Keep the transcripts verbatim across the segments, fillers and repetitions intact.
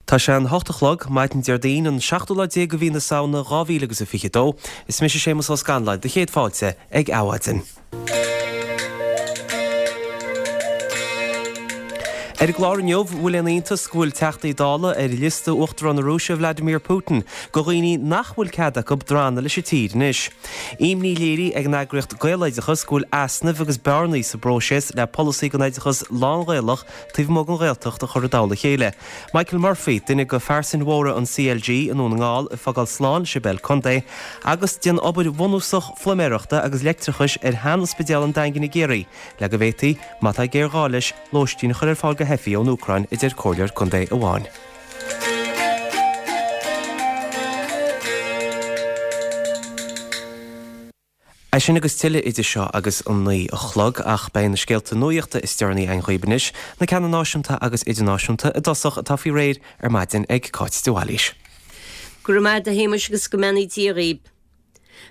Tá sé an hocht a chlog, maidin Déardaoin, an seachtú lá déag de mhí na Samhna dhá mhíle agus a fiche dó. Is mise Séamus Ó Scanláin, do chéad fáilte ag Adhmhaidin. Ar an gclár inniu, bhfuil aon iontas go bhfuil Teachtaí Dála ar liosta Uachtarán na Rúise Vladimir Putin de dhaoine nach bhfuil cead acu drannadh leis an tír anois. Imní léirithe ag an eagraíocht Gaeloideachas go bhfuil easnaimh agus bearnaí sa bpróiseas le polasaí don oideachas lán-Ghaelach taobh amuigh den Ghaeltacht a chur i dtoll a chéile. Michael Murphy, duine de phearsain mhóra an CLG i nDún na nGall, ag fágáil slán leis an bpeil contae agus déan obair bhunúsach phluiméireachta agus leictreachais ar shean-ospidéal an Daingin i gCiarraí le go bhféadfaí, má tá géarghá leis, lóistín a chur ar fáil do theifigh ón Úcráin, a deir comhairleoir contae amháin. É sin agus tuilleadh idir seo agus an naoi a chlog, ach beidh na scéalta nuachta is deireanaí againn dhaoibh anois, na ceanna náisiúnta agus idirnáisiúnta i dtosach atá faoi réir ar maidin ag Cáit de Bhailís. Go raibh maith agat a Shéamais agus go mbeannaí Dia dhaoib.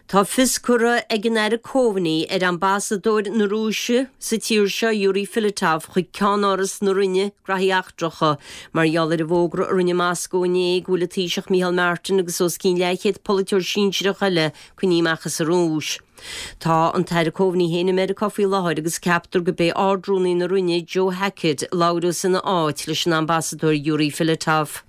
Tá fios curtha ag an Aire Coveney ar Ambasadóir na Rúise sa tír seo, Yuri Filatov, chuig ceannáras na Roinne Graithí Eachtracha mar gheall ar an bhfógra a rinne Moscó inné go bhfuil an Taoiseach Micheál Martin agus os cionn leathchéad polaiteoir sinsearach eile coinnithe amach as an Rúis. Tá an tAire Coveney féin i Meiriceá faoi láthair agus ceaptar gurb é Ard-Rúnaí na Roinne, Joe Hackett, a labhróidh ina áit leis an Ambasadóir Yuri Filatov.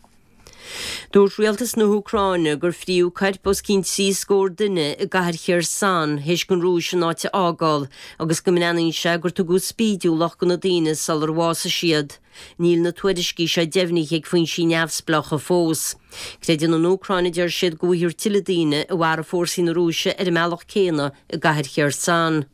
Dúirt rialtas na hÚcráine gur fríodh coirp os cionn trí scór duine i gcathair Kherson théis don Rúis an áit a fhágáil agus go mbreathnaíonn sé gur tugadh spídiúlacht do na daoine sular bhásaigh siad. Níl na tuairiscí seo deimhnithe ag foinsí neamhspleácha fós. Creideann an Úcráin, a deir siad, go bhfuightear tuilleadh daoine a mharaigh fórsaí na Rúise ar an mbealach céanna i gcathair Kherson.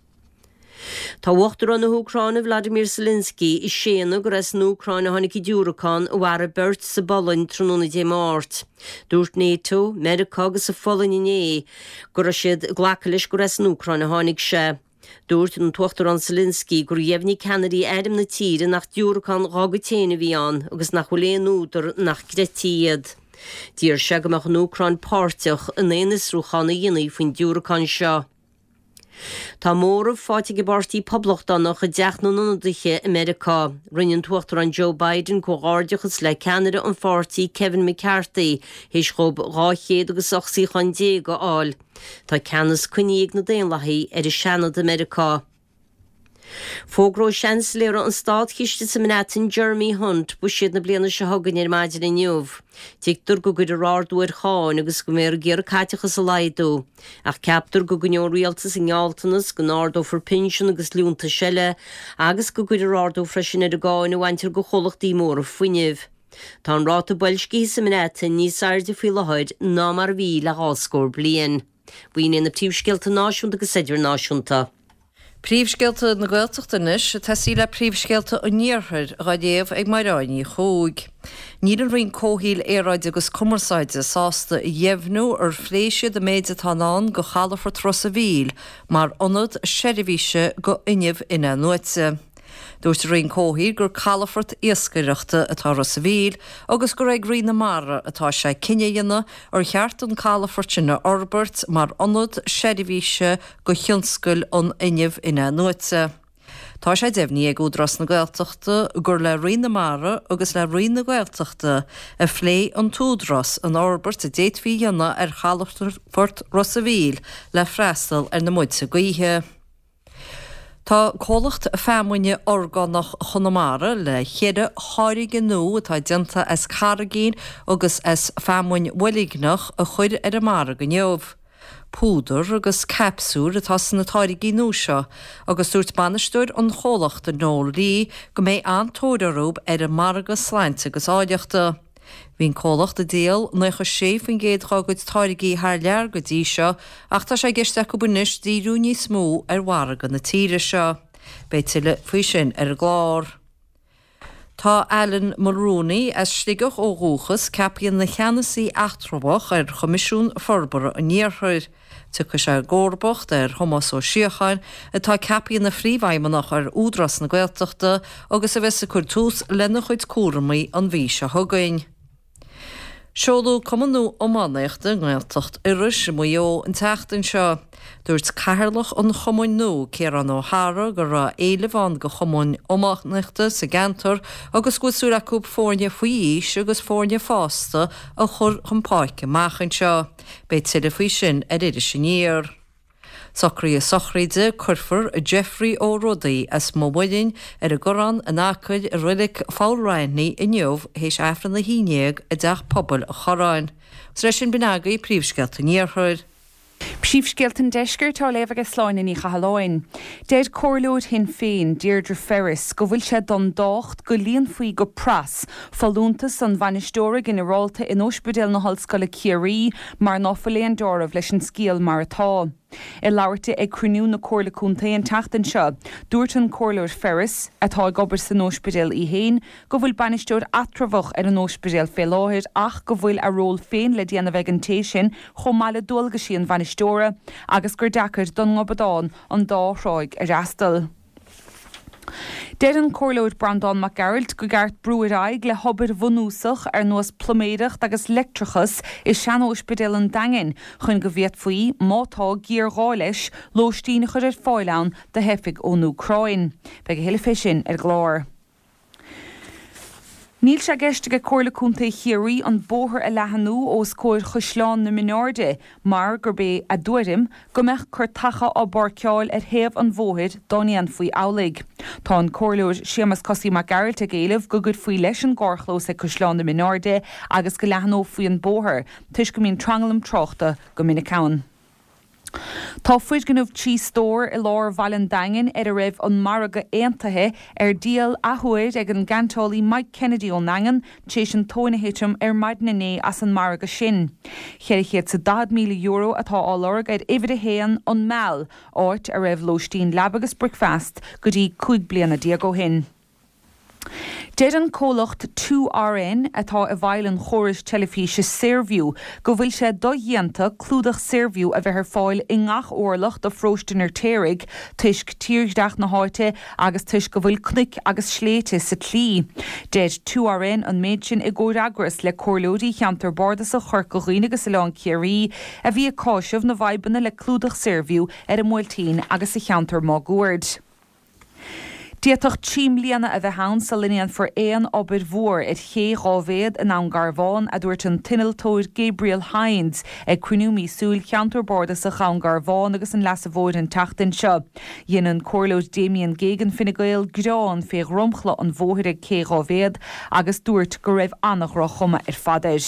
Tá Uachtarán na hÚcráine Vladimir Zelensky ag séanadh gur as an Úcráin a tháinig an diúracán a mharaigh beirt sa bPolainn tráthnóna Dé Máirt. Dúirt NATO, Meiriceá agus an Pholainn inné go raibh siad ag glacadh leis gur as an Úcráin a tháinig sé. Dúirt an tUachtarán Zelensky gur dheimhnigh ceannairí airm na tíre nach diúracán dá gcuid féin a bhí ann agus nach bhfuil aon údar nach gcreidtí iad. D'iarr sé go mbeadh an Úcráin páirteach in aon fhiosrúchán a dhéanfaí faoin diúracán seo. Tá móramh faighte ag an bPáirtí Poblachtánach i dTeach na nIonadaithe i Meiriceá. Rinne an tUachtarán Joe Biden comhghairdeachas le ceannaire an pháirtí Kevin McCarthy théis dhóibh dhá chéad agus ocht suíochán déag a fháil. Tá ceannas coinnithe ag na Daonlathaigh ar an Seanad i Meiriceá. Fógróidh Seansailéara an Státchiste sa mBreatain, Jeremy Hunt, buiséad na bliana seo chugainn ar maidin inniu. Tuigtear go gcuirfear ardú ar cháin agus go mbeifear ag iarraidh caiteachas a laghdú. Ach ceaptar go gcoinneoidh an rialtas a ngealltanas go n-ardófar pinsean agus liúntais eile agus go gcuirfear ardú freisin ar an gcáin a bhaintear de chomhlachtaí móra fuinnimh. Tá an ráta boilscithe sa mBreatain níos airde faoi láthair ná mar a bhí le dhá scór bliain. B'in iad na príomhscéalta náisiúnta agus idirnáisiúnta. Príomhscéalta na Gaeltachta anois, ag tosaí le príomhscéalta an Iarthair, á léamh ag Mairéad Ní Chuaig. Níl an Roinn Comhshaoil, Aeráide agus Cumarsáide sásta a dheimhniú ar phléigh siad an méid atá i ndán do chalafort Ros a' Mhíl mar ionad seirbhíse do fhuinneamh in-athnuaite. Dúirt an Roinn Comhshaoil gur calafort iascaireachta atá i Ros a' Mhíl agus gur ag Roinn na Mara atá sé cinneadh a dhéanamh ar cheart an calafort sin a fhorbairt mar ionad seirbhíse do thionscal an fhuinnimh in-athnuaite. Tá sé deimhnithe ag Údarás na Gaeltachta gur le Roinn na Mara agus le Roinn na Gaeltachta a phléigh an tÚdarás an fhorbairt a d'fhéadfaí a dhéanamh ar chalafort Ros a' Mhíl le freastal ar na muilte gaoithe. Tá comhlacht feamainne orgánach Chonamara le ceithre tháirge nua atá déanta as carraigín agus as feamainn bhoilgneach a chur ar an margadh inniu. Púdar agus capsúil atá sna táirgí nua seo agus dúirt bainisteoir an chomhlachta Noel Lee go mbeidh an-tóir orthu ar an margadh sláinte agus áilleachta. Bhí an comhlacht ag díol naocha sé faoin gcéad dá gcuid táirgí thar lear go dtí seo ach tá sé i gceist acu anois díriú níos mó ar mhargadh na tíre seo. Beidh tuilleadh faoi sin ar an gclár. Tá Alan Mulrooney, as Sligeach ó dhúchas, ceaptha ina cheannasaí eatramhach ar Choimisiún Forbartha an Iarthair. Tiocfaidh sé i gcomharbacht ar Thomás Ó Síocháin, atá ceaptha ina phríomhfheidhmeannach ar Údarás na Gaeltachta agus a bheas ag cur tús lena chuid cúramaí an mhí seo chugainn. Seoladh cumann nua iománaíochta i nGaeltacht Iorrais i Maigh Eo an tseachtain seo. Dúirt cathaoirleach an chumainn nua, Ciarán Ó hEára, go raibh éileamh ann do chumann iománaíochta sa gceantar agus go bhfuil súil acu foirne faoi aois agus foirne fásta a chur chun páirce amach anseo. Beidh tuilleadh faoi sin ar Iris Aniar. Socruithe sochraide, Cuirfear Geoffrey Ó Rodaigh as Maigh Mhuilinn ar an gCorrán in Acaill i Reilig Pholl Raithní inniu théis Aifreann a haon déag i dTeach Pobail an Chorráin. Agus leis sin b'in agaibh príomhscéalta an Iarthair. Príomhscéalta an Deiscirt á léamh ag Sláine Ní Chathalláin. Deir Comhairleoir Shinn Féin, Deirdre Ferris, go bhfuil sé don docht go líonfaí go pras folúntas an bhainisteora ginearálta in Ospidéal na hOllscoile Ciarraí mar ná fuil aon dealramh leis an scéal mar atá. I labhairt di ag cruinniú na Comhairle Contae an tseachtain seo, dúirt an Comhairleoir Ferris, atá ag obair san ospidéal í féin, go bhfuil bainisteoir eatramhach ar an ospidéal fé láthair ach go bhfuil a ról féin le déanamh ag an té sin chomh maith le dualgaisí an bhainisteora agus gur deacair don ngobadán an dá thráigh a fhreastal. Deir an Comhairleoir Breandán Mac Gearailt go gceart brú ar aghaidh le hobair bhunúsach ar nós pluiméireacht agus leictreachas i sean-óispidéal an Daingin chun go bhféadfaí, má tá géarghá leis, lóistín a chur ar fáil ann do theifigh ón Úcráin. Beidh a thuilleadh fé sin ar an gclár. Níl sé i gceist ag Comhairle Contae Chiarraí an bóthar a leathnú os comhair Chaisleán na Mionairde mar gurb é a dtuairim go mbeadh cairteacha á bpáirceáil ar thaobh an bhóthair dá ndéanfaí amhlaidh. Tá an Comhairleoir Séamus Cosaí Mac Gearailt ag éileamh go gcuirfí leis an gcarrchlós ag Caisleán na Mionairde agus go leathnófaí an bóthar toisc go mbíonn tranglam tráchta go minic ann. Tá foirgneamh trí stór i lár bhaile an Daingin ar a raibh an margadh aontaithe ar díol athuair ag an gceantálaí Mike Kennedy ón nDaingean tar éis an tóin a thitim ar maidin inné as an margadh sin. Ceithre chéad 's daichead míle euro atá á lorg ar uimhir a haon, An Meal, áit a raibh lóistín leaba agus bricfeast go dtí cúig bliana déag ó shin. Deir an comhlacht Two RN, atá i bhfeighil an chórais teilifíse Saorview, go bhfuil sé dodhéanta clúdach Saorview a bheith ar fáil i ngach orlach de pharóiste an Fheirtéaraigh toisc tírdhreach na háite agus toisc go bhfuil cnoic agus sléibhte sa tslí. Deir Two RN an méid sin i gcomhfhreagras le comhairleoirí cheantar bardasach Chorca Dhuibhne agus Oileán Ciarraí a bhí ag cáiseamh na bhfadhbanna le clúdach Saorview ar an mBuailtín agus sa cheantar máguaird. D'fhéadfadh trí mbliana a bheith ann sula ndéanfar aon obair mhór ar ché dhá mhéad i nDún Garbhán, a dúirt an t-innealtóir Gabriel Hynes ag cruinniú míosúil Cheantar Bardasach Dhún Garbhán agus an Leasa Mhóir an tseachtain seo. Dhein an Comhairleoir Damien Geoghegan Fine Gael gearán fé dhromchla an bhóthair ag Cé Dhá Mhéad agus dúirt go raibh an-dhroch-chuma ar fad air.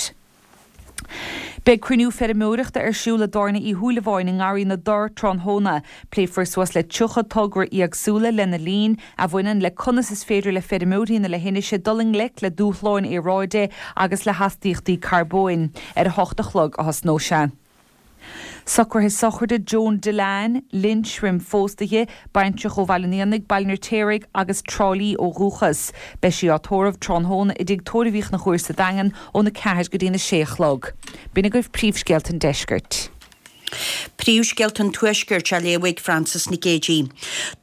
Beidh cruinniú feirmeoireachta ar siúl i dTábhairne Uí Shúilleabháin i nGarraí na dTor tráthnóna. Pléifear suas le tríocha togra éagsúla lena linn a bhaineann le conas is féidir le feirmeoirí na leithinise dul i ngleic le dúshláin aeráide agus le hastaíochtaí carbóin. Ar a hocht a chlog a thosnóidh sé. Socruithe sochraide Joan Dillane, Lynch roim phósadh di, baintreach ó Bhaile an Éanaigh, Baile an Fheirtéaraigh agus Trá Lí ó dhúchas. Beidh sí á tórramh tráthnóna i dTigh Tórraimh Uí Chonchúir sa Daingean óna ceathair go dtína sé a chlog. B'in agaibh príomhscéalta an deiscirt. Príomhscéalta an Tuaiscirt á léamh ag Frances Nic Géadaigh.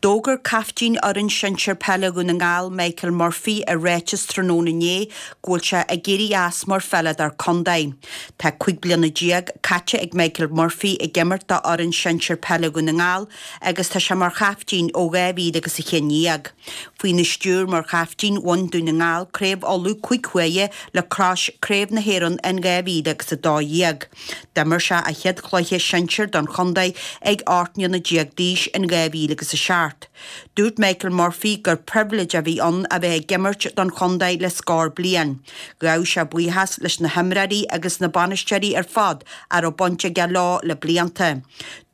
D'fhógair caiftín fhoireann sinsir peile Dhún na nGall Michael Murphy i ráiteas tráthnóna inné go bhfuil sé ag éirí as mar pheileadóir contae. Tá cúig bliana déag caite ag Michael Murphy ag imirt do fhoireann sinsir peile Dhún na nGall agus tá sé mar chaiftín ó dhá mhíle agus a haon déag. Faoina stiúir mar chaiftín bhain Dún na nGall Craobh Uladh cúig huaire le crois Craobh na hÉireann in dhá mhíle agus a dó dhéag. D'imir sé a chéad chluiche sinsir don chontae ag ocht mbliana déag d'aois in dhá mhíle agus a seacht. Dúirt Michael Murphy gur pribhléid a bhí ann a bheith ag imirt don chontae le scór bliain. Ghabh sé buíochas leis na himreoirí agus na bainisteoirí ar fad a raibh baint aige leo le blianta.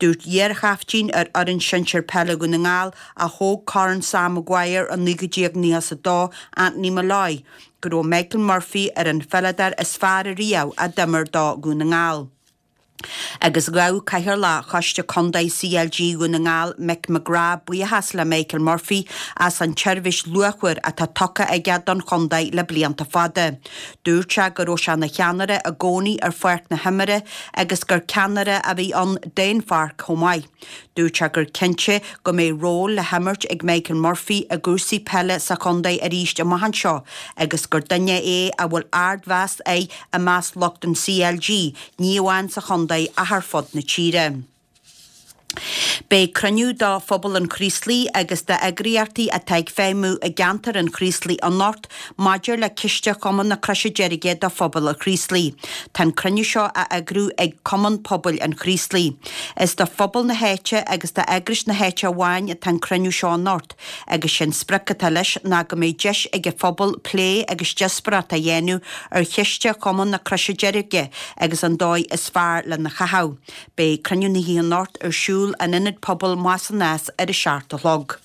Dúirt iarchaiftín ar fhoireann sinsir peile Dhún na nGall a thóg Corn Sam Maguire i naoi déag nócha is a dó, Anthony Molloy, go raibh Michael Murphy ar an pheileadóir is fearr ariamh a d'imir do Dhún na nGall. Agus ghabh Cathaoirleach Choiste Contae C L G Dhún na nGall, Mick McGrath, buíochas le Michael Murphy as an tseirbhís luachmhar atá tugtha aige don chontae le blianta fada. Dúirt sé go raibh sé ina cheannaire i gcónaí ar pháirc na himeartha agus gur ceannaire a bhí ann d'aon pháirc chomh maith. Dúirt sé gur cinnte go mbeidh ról le himirt ag Michael Murphy i gcúrsaí peile sa chontae arís amach anseo agus gur duine é a bhfuil ardmheas air i measc lucht an C L G, ní amháin sa chontae ach ar fud na tíre. Beidh cruinniú do phobal an Chraoslaigh agus d'eagraíochtaí atá ag feidhmiú i gceantar an Chraoslaigh anocht maidir le ciste Chumann na Croise Deirge do phobal an Chraoslaigh. Tá an cruinniú seo á eagrú ag Cumann Pobail an Chraoslaigh. Is do phobal na háite agus d'eagrais na háite amháin atá an cruinniú seo anocht, agus sé'n sprioc atá leis ná go mbeidh deis ag an phobal plé agus díospóireacht a dhéanamh ar chiste Chumann na Croise Deirge agus an dóigh is fearr lena chaitheamh. Beidh cruinniú na hoíche anocht ar siúl in Ionad Pobail Maigh Nás ar a seacht a chlog.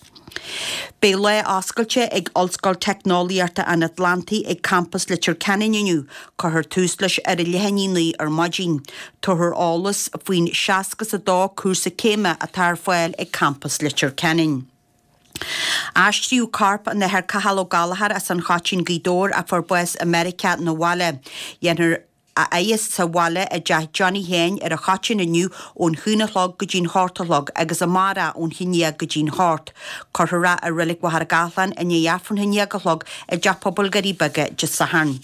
Beidh lá oscailte ag Ollscoil Teicneolaíochta an Atlantaigh ag campas Leitir Ceanainn inniu, cuirfear tús leis ar a leath i ndiaidh a naoi ar maidin. Tabharfar eolas faoin seasca is a dó cúrsa céime atá ar fáil ag campas Leitir Ceanainn. Aistríodh corp an Athar Cathal Ó Gallchóir as an Choitín Gaoth Dobhair a fuair bás i Meiriceá 'na bhaile. Dhéanfar a fhaire sa bhaile i dteach Johnny Sheáin ar an Choitín inniu ón haon a chlog go dtí'n hocht a chlog agus amárach ón haon déag go dtí'n hocht. Cuirfear é i Reilig Mhachaire Gathlán i ndiaidh Aifreann a haon déag a chlog i dTeach Pobail Dhoirí Beaga Dé Sathairn.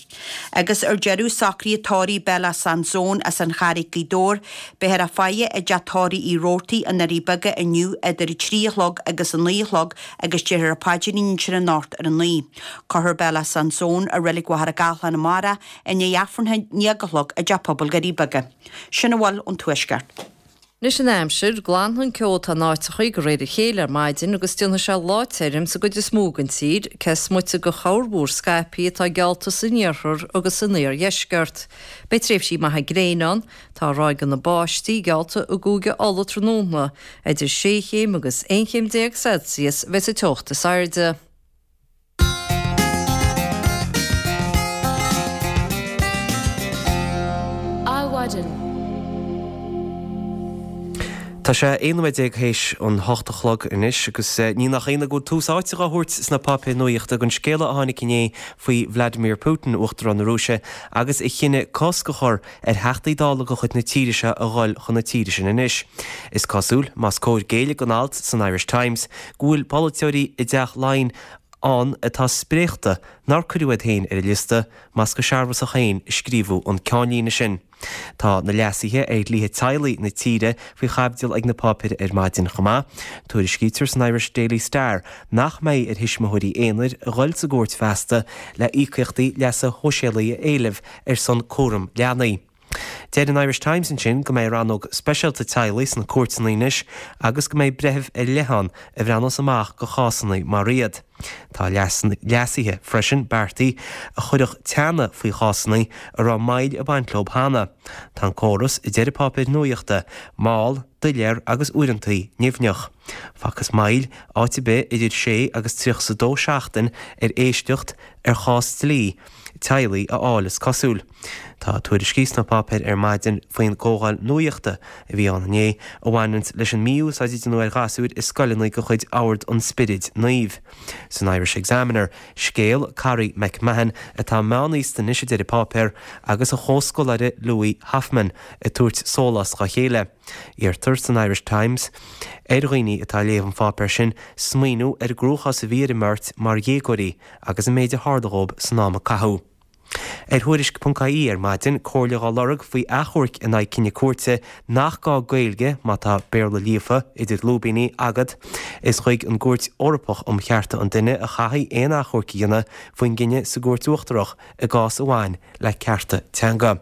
Agus ar deireadh socruithe tórraimh Bella Sansone as an Charraig Gaoth Dobhair, beifear á faire i dteach tórraimh Uí Robhartaigh i nDoirí Beaga inniu idir a trí a chlog agus a naoi a chlog agus déarfar an paidrín ansin anocht ar a naoi. Cuirfear Bella Sansone i Reilig Mhachaire Gathlán amárach i ndiaidh Aifreann a haon déag a chlog i dTeach Pobail Dhoirí Beaga. Sin a bhfuil ón Tuaisceart. Anois an aimsir, glanfaidh an ceo atá in áiteachaí de réir a chéile ar maidin agus déanfaidh sé lá tirim sa gcuid is mó den tír, cé is moite de chorrmhúr scaipthe atá geallta san iarthar agus san iardheisceart. Beidh tréimhsí maithe gréine ann, tá ráigeanna báistí geallta i gCúige Uladh tráthnóna, idir sé chéim agus aon chéim déag Celsius a bheidh sa teocht is airde. Adhmhaidin. Tá sé aon nóiméad déag théis an hocht a chlog anois agus ní nach ionadh go bhfuil tús áite á thabhairt sna páipéir nuachta don scéala a tháinig inné faoi Vladimir Putin, Uachtarán na Rúise, agus a chinneadh cosc a chur ar Theachtaí Dála de chuid na tíre seo a dhul chun na tíre sin anois. Is cosúil, más cóir géilleadh don alt san Irish Times, go bhfuil polaiteoirí i dTeach Laighean ann atá spréachta nár cuireadh iad féin ar an liosta, más go searbhasach féin a scríobhadh an ceannlíne sin. Tá na leasuithe ar dhlíthe teaghlaigh na tíre faoi chaibidil ag na páipéir ar maidin chomh maith. Tuairiscítear san Irish Daily Star nach mbeidh ar thuismitheoirí aonair a dhul sa gcúirt feasta le íocaíochtaí leasa shóisialaigh a éileamh ar son cúram leanaí. Deir an Irish Times ansin go mbeidh rannóg speisialta teaghlaigh sna cúirteanna anois agus go mbeidh breitheamh ar leith ann a bhreathnós amach do chásanna mar iad. Tá leasuithe freisin beartaithe a chuirfeadh teannadh faoi chásanna a raibh moill ag baint leo cheana. Tá an córas, a deir páipéir nuachta, mall, doiléir agus uaireanta nimhneach. Facthas moill áit ar bith idir sé agus tríocha is a dó seachtain ar éisteacht ar chás dlí teaghlaigh a fháil is cosúil. Tá tuairiscí sna páipéir ar maidin faoin gcomhdháil nuachta a bhí ann inné a bhaineann leis an mí-úsáid a déanadh ar ghasúir i scoileanna de chuid Ord an Spioraid Naoimh. San Irish Examiner, scéal Carrie McMahon atá meánaosta anois a deir an páipéar agus a chomhscoláire Louis Hoffman ag tabhairt sólás dá chéile. Iarrtar san Irish Times ar dhaoine atá ag léamh an pháipéir sin smaoineamh ar an gcruachás a bhí ar an mbeirt mar dhéagóirí agus an méid a tharla dhóibh san am a caitheadh. Ar Thuairisc ponc I E ar maidin, comhairle dhá lorg faoi achomharc in aghaidh cinneadh cúirte nach gá Gaeilge má tá Béarla líofa, idir lúibíní, agat. Is chuig an gCúirt Eorpach um Chearta an Duine a chaithfí aon achomharc a dhéanamh faoin gcinneadh sa gCúirt Uachtarach i gcás a bhain le cearta teanga.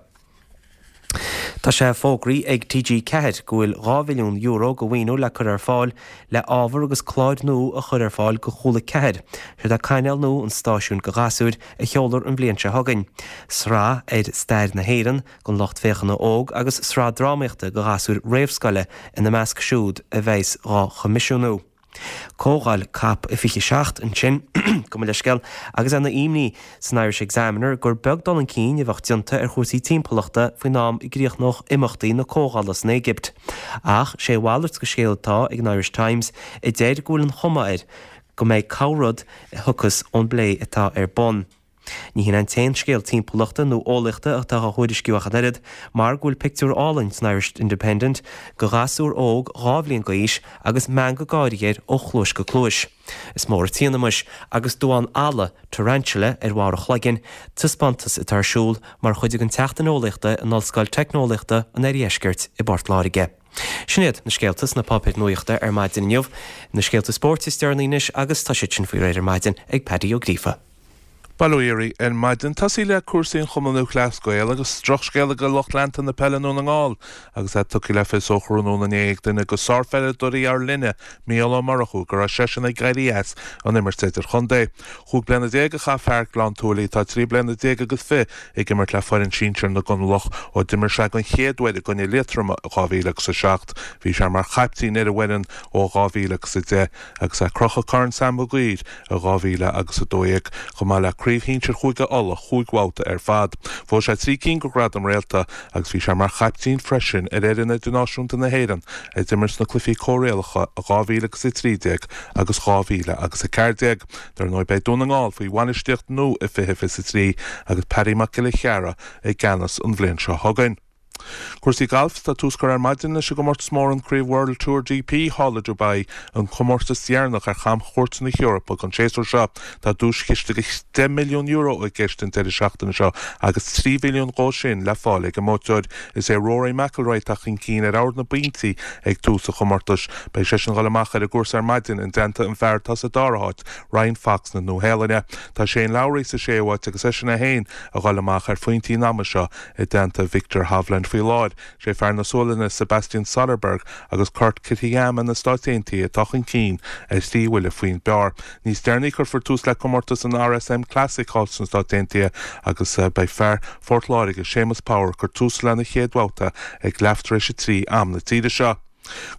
Tá sé fógraithe ag T G ceathair go bhfuil dhá mhilliún euro de mhaoiniú le cur ar fáil le ábhar agus cláir nua a chur ar fáil do Chúla ceathair. Siod é cainéal nua an stáisiúin do ghasúir a sheolfar an bhliain seo chugainn. Sraith ar stair na hÉireann don lucht féachana óg agus sraith drámaíochta do ghasúir réamhscoile ina measc siúd a bheas dhá choimisiúnú. Comhdháil COP fiche seacht ansin, gabh mo leithscéal, agus ana imní san Irish Examiner gur beag dul chun cinn a bheadh déanta ar chúrsaí timpeallachta faoin am a gcríochnódh imeachtaí na comhdhála san Éigipt. Ach sé a mhalairt de scéal atá ag an Irish Times a deir go bhfuil an chuma air go mbeidh corrrud a thiocfas ón bplé atá ar bun. Ní hin an t-aon scéal timpeallachta nó eolaíochta atá á thuairisciú ach an oiread, mar go bhfuil pictiúr álainn san Irish Independent de ghasúr óg dhá bhliain d'aois agus meangadh gáire air ó chluais go cluais. Is mór an t-ionadh muis agus duán alla, tarantula, ar bharr a chloiginn, taispeántas atá ar siúl mar chuid den tSeachtain Eolaíochta in Ollscoil Teicneolaíochta an Oirdheiscirt i bPort Láirge. Sin iad na scéalta sna páipéir nuachta ar maidin inniu. Na scéalta spóirt is deireanaí anois agus tá siad sin faoi réir ar maidin ag Paddy Ó Gríofa. Bail ó Dhia oraibh ar maidin. Tosaí le cúrsaí an Chumann Lúthchleas Gael agus drochscéala do lucht leanta na peile i nDún na nGall agus é tugtha le fios ó thráthnóna inné ag duine de sárpheileadóirí ár linne, Mícheál Ó Murchú, go raibh seisean ag éirí as an imirt idirchontae. Chúig bliana déag a chaith fear Ghleann tSúilí, atá trí bliana déag agus fiche, ag imirt le foireann sinsir na gConallach ó d'imir sé den chéad uair i gcoinne Liatroma i dhá mhíle agus a seacht. Bhí sé mar chaiptín ar an bhfoireann ó dhá mhíle agus a deich agus é ag crochadh Corn Sam Maguire i dhá mhíle agus a dó dhéag, chomh maith le Craobh Shinsir Chúige Uladh chúig bhabhta ar fad. Bhuaigh sé trí cinn de Ghradaim Réalta agus bhí sé mar chaiptín freisin ar fhoireann idirnáisiúnta na hÉireann a d'imir sna Cluichí Comhrialacha i dhá mhíle agus a trí déag agus dhá mhíle agus a ceathair déag. Dar ndóigh beidh Dún na nGall faoi bhainistíocht nua i fiche fiche a trí agus Paddy Mac Giolla Chearra i gceannas an bhliain seo chugainn. Cúrsaí gailf, Tá tús curtha ar maidin leis an gcomórtas mór an Craobh World Tour G P thall i Dubai, an comórtas deireanach ar chamchuairt na hEorpa don séasúr seo. Tá duaischiste de deich milliún euro i gceist an deireadh seachtaine seo agus trí mhilliún dhó sin le fáil ag an mbuaiteoir. Is é Rory McIlroy atá chun cinn ar ard na bpointí ag tús an chomórtais. Beidh seisean ag dul amach ar an gcúrsa ar maidin i dteannta an fear atá sa dara háit, Ryan Fox na Nua-Shéalainne. Tá Shane Lowry sa séú háit agus eisean é féin ag dul amach ar phointí an ama seo i dteannta Viktor Hovland faoi láthair. Sé fear na Sualainne Sebastian Soderberg agus Kurt Kitayama na Stáit Aontaithe atá chun cinn ar thrí bhuille faoin bpar. Níos deireanaí cuirfear tús le comórtas an R S M Classic thall sna Stáit Aontaithe agus beidh fear Phort Láirge Séamus Power ag cur tús lena chéad bhabhta ag leath tar éis a trí am na tíre seo.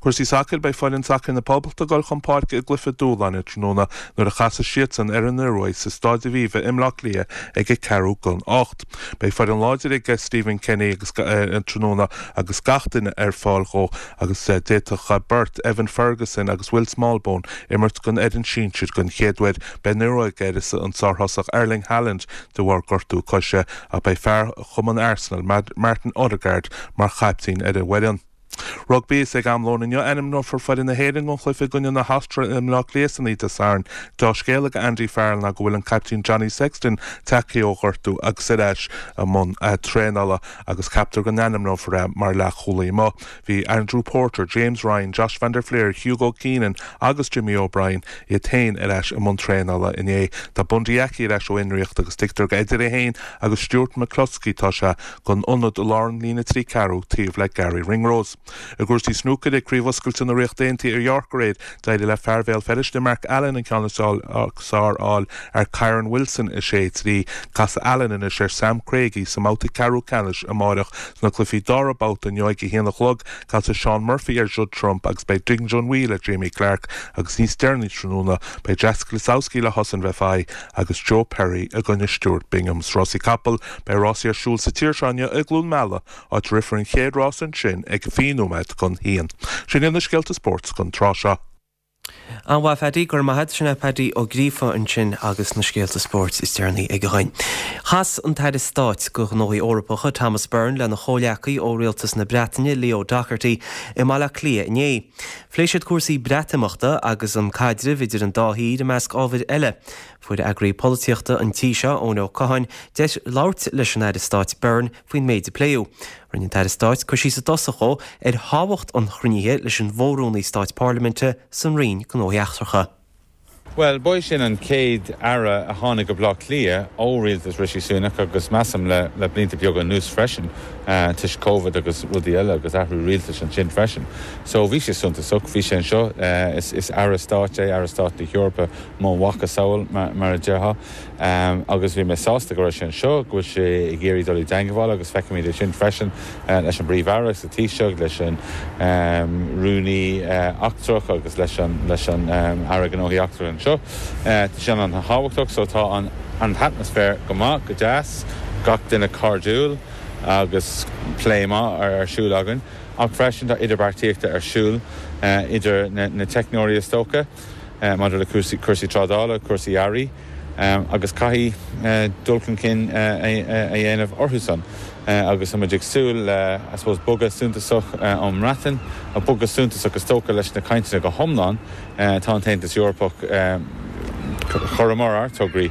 Cúrsaí sacair, Beidh foireann sacair na Poblachta ag dul chun páirce i gcluiche dúshláin tráthnóna nuair a chasfaidh siadsan ar an Ioruaidh sa Staid Aviva i mBleá Cliath ag a ceathrú don ocht. Beidh foireann láidir ag Stephen Kenny agus tráthnóna agus gach duine ar fáil dhó agus d'fhéadfadh beirt Evan Ferguson agus Will Smallbone imirt don fhoireann sinsir den chéad uair. Beidh an Ioruaidh ag uireasa an sárthosach Erling Haaland de bharr gortú coise ach beidh fear chumann Arsenal Martin Odegaard mar chaiptín ar an bhfoireann. Rugbaí, Is ag am lóin inniu ainmneofar foireann na hÉireann don chluiche i gcoinne na hAstráile i mBleá Cliath san oíche Dé Sathairn. Deá-scéal ag Andy Farrell ná go bhfuil an caiptín Johnny Sexton tagtha ó ghortú agus ar ais i mbun traenála agus ceaptar go n-ainmneofar é mar leathchúlaí amuigh. Bhí Andrew Porter, James Ryan, Josh van der Flier, Hugo Keenan agus Jimmy O'Brien iad féin ar ais i mbun traenála inné. Tá Bundee Aki ar ais ó fhionraíocht agus tuigtear gur idir é féin agus Stuart McCloskey atá sé don ionad i lár an líne trí ceathrú taobh le Garry Ringrose. I gcúrsaí snúcair ag Craobh Oscailte na Ríochta Aontaithe ar York aréir, d'éirigh le fear Bhéal Feirste Mark Allen an ceann is fearr a fháil ar Kyren Wilson a sé trí. Casfaidh Allen anois ar Sam Craigie sa mbabhta ceathrú ceannais amárach. Sna cluichí dara babhta inniu ag a haon a chlog, casfaidh Shaun Murphy ar Judd Trump agus beidh Ding Junhui le Jamie Clarke agus níos deireanaí tráthnóna beidh Jacek Lisowski le Hossein Vafaei agus Joe Perry i gcoinne Stuart Bingham. Sna rásaí capall, beidh rásaí ar siúl sa tír seo inniu i gCluain Meala, áit a rithfear an chéad rás ansin ag fiche nóiméad chun haon. Sin iad na scéalta spóirt don tráth seo. An-mhaith Paddy, go raibh maith agat. Sin é Paddy Ó Gríofa ansin agus na scéalta spóirt is deireanaí aige dhuinn. Chas an tAire Stáit do Ghnóthaí Eorpacha Thomas Byrne lena chomhghleacaí ó Rialtas na Breataine Leo Docherty i mBaile Átha Cliath inné. Phléigh siad cúrsaí Breatimeachta agus an caidreamh idir an dá thír i measc ábhair eile. Fuair eagraí polaitíochta an tí seo, Eoin Ó Catháin, deis labhairt leis an Aire Stáit Byrne faoin méid a pléadh. Rinne an tAire Stáit cur síos i dtosach dhó ar thábhacht an chruinnithe leis an bhFo-Rúnaí Stáit Parlaiminte san Roinn Gnóthaí Eachtracha. Bhuel, ba é sin an chéad aire a tháinig go Baile Átha Cliath ó rialtas Rishi Sunak agus measaim le le blianta beaga anuas freisin, toisc Covid agus rudaí eile agus athrú rialtais ansin freisin. So bhí sé suntasach, bhí sé anseo, is is aire stáit é, aire stáit na hEorpa mo mhacasamhail mar a déarfá. Agus bhí mé sásta go raibh sé anseo, go bhfuil sé ag iarraidh dul i dteangmháil agus feicimid é sin freisin leis an bPríomh-Aire sa Taoiseach, leis an Rúnaí Eachtrach agus leis an leis an Aire Gnóthaí Eachtracha anseo. Tá sé an-thábhachtach so tá an an t-atmaisféar go maith, go deas, gach duine cairdiúil agus plé maith ar siúl againn. Ach freisin tá idirbheartaíochta ar siúl idir na teicneoirí is dócha maidir le cúrsaí trádála, cúrsaí earraí agus caithfidh dul chun cinn a dhéanamh orthu san. Agus tá muid ag súil le, I suppose, bogadh suntasach ón mBreatain, bogadh suntasach is dócha leis na cainteanna go hiomlán. Tá an tAontas Eorpach, chuireamar ár dtograí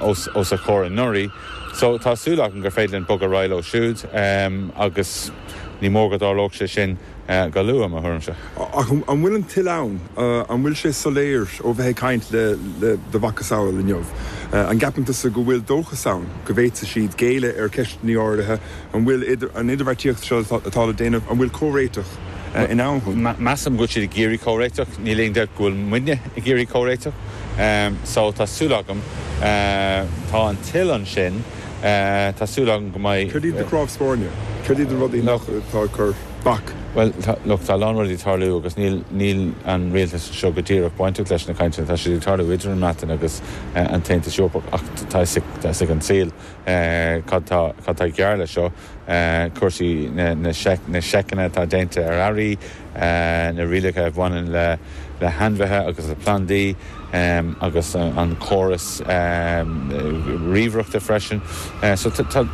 os a chomhair anuraidh. So tá súil agam gur féidir linn bogadh ar aghaidh leo siúd agus ní mór go dtarlódh sé sin go luath, i mo thuairimse. Ach an bhfuil an toil ann? An bhfuil sé soiléir ó bheith ag caint le do mhacasamhail inniu? An gceapann tusa go bhfuil dóchas ann go bhféadfaidh siad géilleadh ar cheisteanna áirithe? An bhfuil an idirbheartaíocht seo atá le déanamh, an bhfuil comhréiteach in ann? Measaim go bhfuil siad ag iarraidh comhréiteach. Níl aon dabht go bhfuil muidne ag iarraidh comhréiteach. So tá súil agam, tá an toil ansin, tá súil agam go mbeidh. Céard iad na cnámha spairne? Céard iad na rudaí nach atá ag cur bac? Bhuel, look, tá a lán rudaí ag tarlú agus níl, níl an rialtas seo go díreach bainteach leis na cainteanna. Tá siad ag tarlú idir an mBreatain agus an tAontas Eorpach ach tá a fhios ag, tá a fhios ag an saol cad tá, cad tá gearr leis seo, cúrsaí na, na na seiceanna atá déanta ar earraí, na rialacha a bhaineann le, le hainmhithe agus le plandaí agus an córas ríomhaireachta freisin. So tá,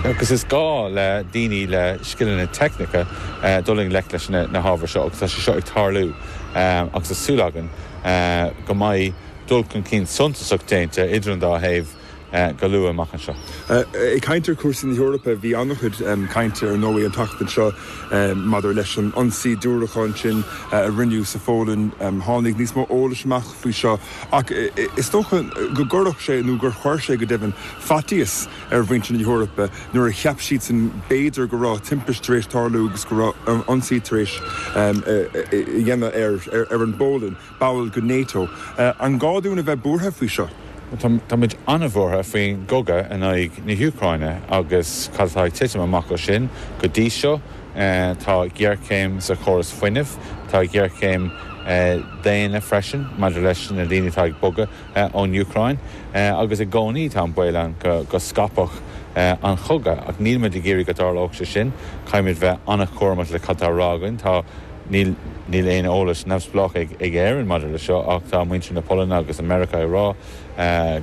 agus is gá le daoine le scileanna teicnice dul i ngleic leis na hábhair seo agus tá sé seo ag tarlú agus tá súil againn go mbeidh dul chun cinn suntasach déanta idir an dá thaobh go luath amach anseo. Ag caint ar chúrsaí na hEorpa, bhí an-chuid cainte ar ndóigh an tseachtain seo maidir leis an ionsaí diúracán sin a rinneadh sa Pholainn. Tháinig níos mó eolais amach faoi seo ach is dócha go gcuirfeadh sé, nó gur chuir sé go deimhin, faitíos ar mhuintir na hEorpa nuair a cheap siadsan b'fhéidir go raibh timpiste tar éis tarlú agus go raibh ionsaí tar éis a dhéanamh ar an bPolainn, ball de NATO. An gá dúinn a bheith buartha faoi seo? Tá muid an-bhuartha faoin gcogadh in aghaidh na hÚcráine agus cad atá ag titim amach ó sin go dtí seo. Tá géarchéim sa chóras fuinnimh, tá géarchéim daonna freisin maidir leis na daoine atá ag bogadh ón Úcráin agus i gcónaí tá an baol ann go scaipfeadh an cogadh ach níl muid ag iarraidh go dtarlódh sé sin. Caithfimid bheith an-chúramach le cad atá á rá againn. Tá. Níl níl aon eolas neamhspleách ag ag Éirinn maidir le seo ach tá muintir na Polainne agus i Meiriceá ag rá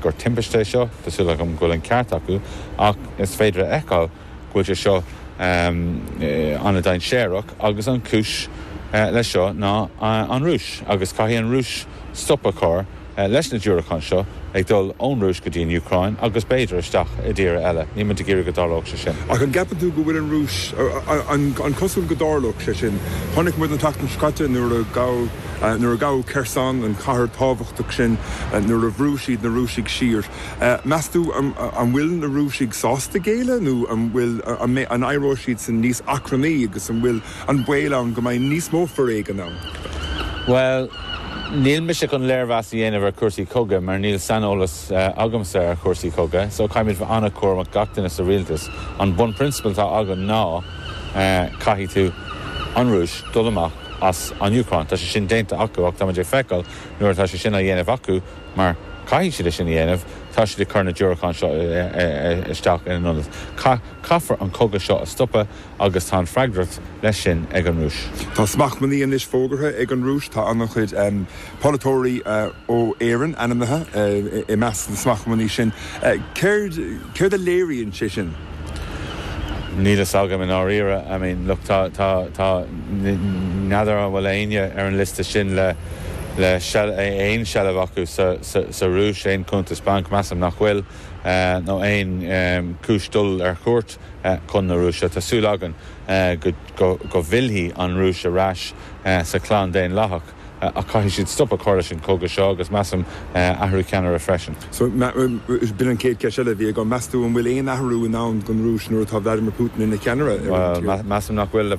gur timpiste é seo. Tá súil agam go bhfuil an ceart acu ach is féidir a fheiceáil go bhfuil sé seo an-dainséarach agus an chúis leis seo ná an Rúis agus caithfidh an Rúis stop a chur leis na diúracáin seo ag dul ón Rúis go dtí an Úcráin agus b'fhéidir isteach i dtíortha eile. Níl muid ag iarraidh go dtarlódh sé sin. Ach an gceapann tú go bhfuil an Rúis, an cosúil go dtarlódh sé sin? Chonaic muid an tseachtain seo caite nuair a gabhadh, nuair a gabhadh Kherson, an chathair tábhachtach sin, nuair a bhrú siad na Rúisigh siar. Meas tú an bhfuil na Rúisigh sásta géilleadh nó an bhfuil, an mbeidh, an éireoidh siadsan níos achrannaí agus an bhfuil an baol ann go mbeidh níos mó foréigin ann? Bhuel, níl mise chun léirmheas a dhéanamh ar chúrsaí cogaidh mar níl saineolas agamsa ar chúrsaí cogaidh, so caithfimid bheith an-chúramach, gach duine sa rialtas. An bunphrionsabal atá againn ná caithfidh tú, an Rúis, dul amach as an Úcráin. Tá sé sin déanta acu ach tá muid ag feiceáil nuair atá sé sin á dhéanamh acu, mar caithfidh siad é sin a dhéanamh, tá siad ag cur na diúracáin seo isteach ina n-ionad. Caithfear an cogadh seo a stopadh agus tá an freagracht leis sin ag an Rúis. Tá smachtbhannaí anois fógartha ag an Rúis. Tá an-chuid polaiteoirí ó Éirinn ainmnithe i measc na smachtbhannaí sin. Céard céard a léiríonn sé sin? Níl fhios agam i ndáiríre. I mean, look, tá, tá, tá, n'fheadar an bhfuil éinne ar an liosta sin le, le aon seilbh acu sa, sa, sa Rúis, aon cuntas bainc, measaim nach bhfuil, nó aon chúis dul ar chuairt chun na Rúise. Tá súil againn go, go, go bhfillfidh an Rúis ar ais sa chlann daonlathach. ach caithfidh siad stop a chur leis an cogadh seo agus measaim athrú ceannaire freisin. So b'in an chéad cheist eile a bhí agam, meas tú an bhfuil aon athrú i ndán don Rúis nuair atá Vladimir Putin ina cheannaire ar an tír? Bhuel, measaim nach bhfuil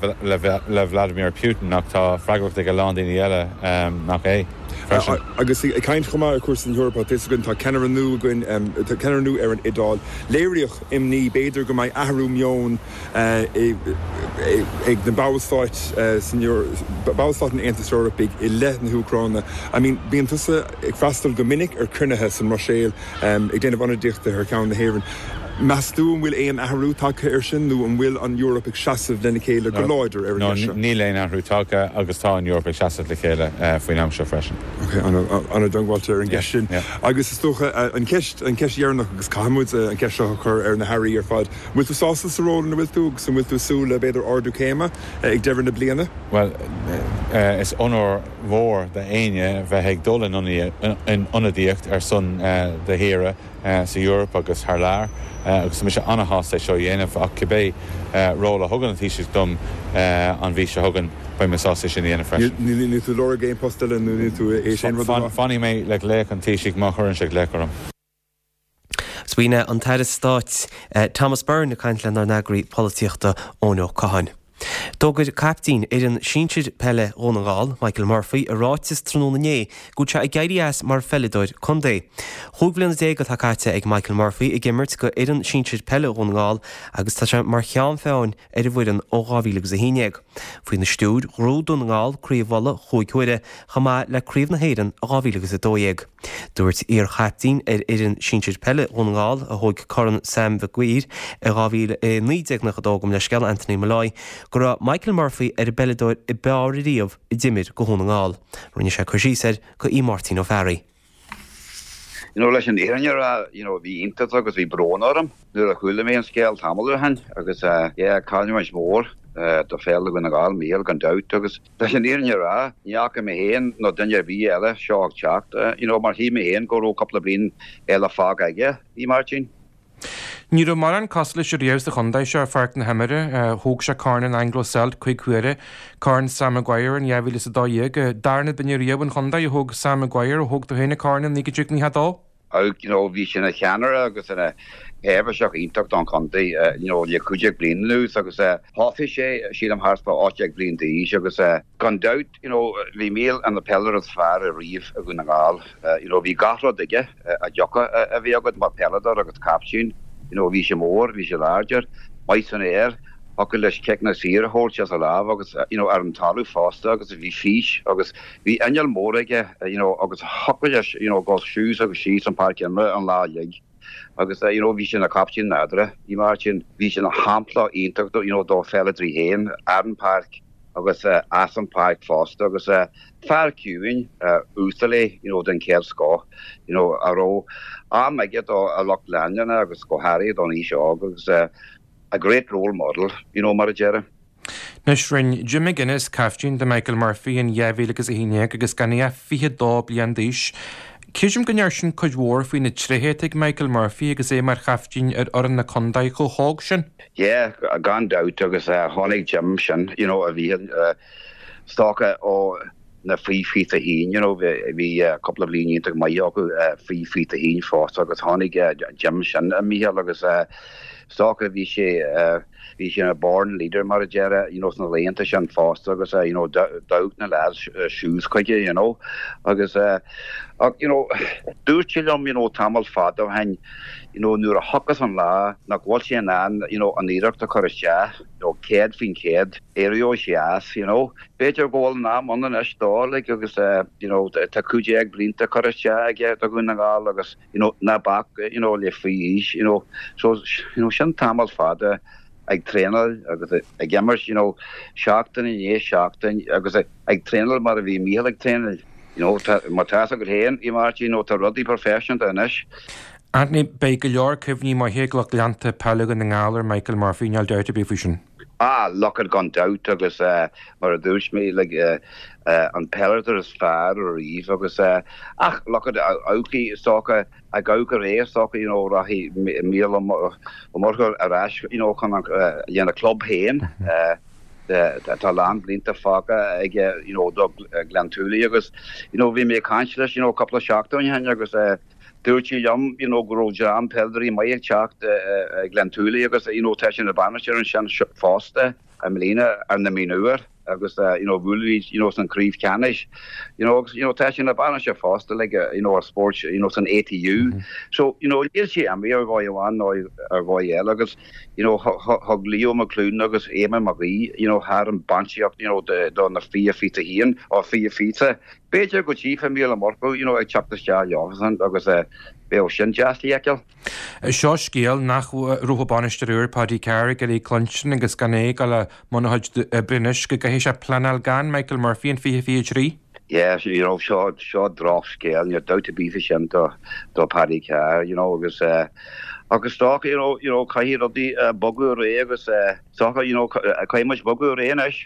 le Vladimir Putin ach tá freagracht ag a lán daoine eile nach é freisin. Agus ag caint chomh maith ar chúrsaí na hEorpa, tá fhios againn tá ceannaire nua againn, tá ceannaire nua ar an Iodáil. Léiríodh imní b'fhéidir go mbeidh athrú meoin ag na ballstáit san ballstáit an Aontais Eorpaigh i leith na hÚcráine. I mean, bíonn tusa ag freastal go minic ar chruinnithe sa mBruiséil ag déanamh ionadaíochta thar ceann na hÉireann. Meas tú an bhfuil aon athrú tagtha air sin nó an bhfuil an Eoraip ag seasamh lena chéile go láidir ar an gceist seo? Níl aon athrú tagtha agus tá an Eoraip ag seasamh le chéile faoin am seo freisin. Ok, an-diongbháilte ar an gceist sin. Agus is dócha an cheist, an cheist dheireanach agus caithfidh muid an cheist seo a chur ar na hairí ar fad, an bhfuil tú sásta sa ról ina bhfuil tú agus an bhfuil tú ag súil le b'fhéidir ardú céime ag deireadh na bliana? Bhuel, is onóir mhór d'éinne bheith ag dul in ionadaíocht ar son do thíre sa Eoraip agus thar lear agus tá mise an-shásta é seo a dhéanamh ach cibé ról a thugann an Taoiseach dom an mhí seo chugainn beidh mé sásta é sin a dhéanamh freisin. Níl tú ag lorg aon post eile nó níl tú é sin rud a rá? Fanfaidh mé le glaoch an Taoisigh má chuireann sé glaoch orm. B'in é an tAire Stáit Thomas Byrne ag caint lenár n-eagraí polaitíochta Eoin Ó Catháin. D'fhógair caiptín fhoireann sinsir peile Dhún na nGall, Michael Murphy, i ráiteas tráthnóna inné go bhfuil sé ag éirí as mar pheileadóir contae. Chúig bhliana déag atá caite ag Michael Murphy ag imirt go fhoireann sinsir peile Dhún na nGall agus tá sé mar cheann feadhain ar an bhfoireann ó dhá mhíle agus a haon déag. Faoina stiúir, ghnóthaigh Dún na nGall Craobh Uladh chúig huaire, chomh maith le Craobh na hÉireann i dhá mhíle agus a dó dhéag. Dúirt iar-chaiptín ar fhoireann sinsir peile Dhún na nGall, a thóg Corn Sam Mhig Uidhir i dhá mhíle i naoi déag nócha a dó, gabh mo leithscéal, Anthony Molloy, go raibh Michael Murphy ar an bpeileadóir ab fhearr ariamh a d'imir go Dhún na nGall. Rinne sé cur síos air go Aodh Máirtín Ó Fearraigh. You know, leis an fhírinne a rá, you know, bhí iontas agus bhí brón orm nuair a chuala mé an scéal tamall ó shin agus eh, yeah, cailliúint mhór eh, do pheil Dhún na nGall, Mícheál gan dabht agus leis an fhírinne a rá, ní fhaca mé féin nó duine ar bith eile seo ag teacht, eh, you know, mar shíl mé féin go raibh cúpla bliain eile fágtha aige, a Mháirtín. Ní raibh mórán cosúil leis riamh sa chontae seo ar pháirc na himeartha. Thóg sé Corn an Anglo Celt cúig huaire, Corn Sam Maguire in dhá mhíle is a dó dhéag. Darna duine riamh an chontae a thóg Sam Maguire, a thóg tú féin an corn in naoi déag nócha a dó. You know, bhí sé ina cheannaire agus ina sheirbhíseach iontach don chontae, you know, le cúig déag bliain anuas agus thosaigh sé, sílim, thart fá ocht déag bliain d'aois agus gan dabht, you know, bhí Mícheál ina pheileadóir is fearr ariamh i Dhún na nGall. You know, bhí gach rud aige a dtiocfadh a bheith agat mar pheileadóir agus captaen. You know, bhí sé mór, bhí sé láidir, maith san aer, thiocfadh leis ciceanna saora a thabhairt as a lámh agus, you know, ar an talamh fosta agus bhí fís agus bhí inneall mór aige, you know, agus thiocfadh leis, you know, dul suas agus síos an páirc imeartha an lá uilig. Agus, you know, bhí sé ina chaptaen nádúrtha, a Mháirtín, bhí sé ina shampla iontach, you know, do pheileadóirí féin ar an pháirc agus as an pháirc fosta agus fear ciúin, uasal é, you know, den chéad scoth, you know, a raibh am aige do a lucht leanúna agus go háirithe don aois óg agus a great role model, you know, mar a déarfá. Anois rinne Jim McGuinness caiftín de Michael Murphy in dhá mhíle agus a haon déag agus gan é ach fiche dó bliain d'aois. Creidim go ndeir sin cuid mhór faoi na tréithe atá ag Michael Murphy agus é mar chaiftín ar fhoireann na contae chomh hóg sin. Yeah, gan dabht agus tháinig Jim sin, you know, a bhí is dócha ó na faoi fiche a haon, you know, bhí cúpla bliain iontach maith acu faoi fiche a haon fosta agus tháinig Jim sin, a Mhícheáil, agus is dócha bhí sé bhí sé ina born leader mar a déarfá, you know, sna laethanta sin fosta agus you know, d'amharc na lads suas chuige, you know, agus ach, you know, dúirt sé liom, you know, tamall fada ó shin, you know, nuair a thiocfas an lá nach bhfuil sé in ann, you know, an iarracht a chur isteach, you know, céad faoin chéad, éireoidh sé as, you know. B'fhéidir go bhfuil an am ann anois dó, like, agus you know, tá cúig déag blianta curtha isteach aige do Dhún na nGall agus, you know, ná bac, you know, le faoi aois, you know, so, you know, sin tamall fada ag traenáil agus ag imirt, you know, seachtain i ndiaidh seachtain agus ag traenáil mar a bhí Mícheál ag traenáil, you know, tá, má tá fhios agat féin, a Mháirtín, you know, tá rudaí proifisiúnta anois. Anthony, beidh go leor cuimhní maithe ag lucht leanta peile Dhún na nGall ar Michael Murphy, níl dabht ar bith faoi sin. Ah, look at gan dabht agus mar a dúirt mé, like, an peileadóir is fearr ariamh agus ach look at amharc is dócha ag amharc ar é is dócha, you know, rachaidh Mícheál Ó Murchú ar ais, you know, chun an, lena club féin. Tá a lán blianta fágtha aige you know do Gleann tSúilí agus you know bhí mé ag caint leis you know cúpla seachtain ó shin agus dúirt sé liom you know go raibh dream peileadóirí maith ag teacht ag Gleann tSúilí agus you know tá sé ina bhainisteoir ansin fosta i mbliana ar na mionúir agus you know bhuaigh you know san craobh ceannais you know agus you know tá sé ina bhainisteoir fosta like you know ar spóirt you know san ATU mm -hmm. so you know níl sé imithe ar dhóigh amháin nó ar dhóigh eile agus you know thug Leo McLoone agus Éamonn Mag Aoidh you know thar an bainistíocht you know de do na fiche fiche haon ó fiche fiche b'fhéidir go dtchífeá Mícheál Ó Murchú you know ag teacht isteach leosan agus eh, bheadh sin deas le feiceáil. Seo scéal nach raibh an bainisteoir úr Paddy Carr ag iarraidh cluinstin agus gan é ag dul i mbun a chuid oibre anois go gcaithfidh sé pleanáil gan Michael Murphy in fiche fiche trí. Yeah, you know, seo seo drochscéal, níl dabht ar bith faoi sin do do Paddy Carr, you know, agus eh, agus dócha, you know, you know, caithfidh rudaí eh, bogadh ar aghaidh agus eh, dócha, you know, caithfidh muid bogadh ar aghaidh anois.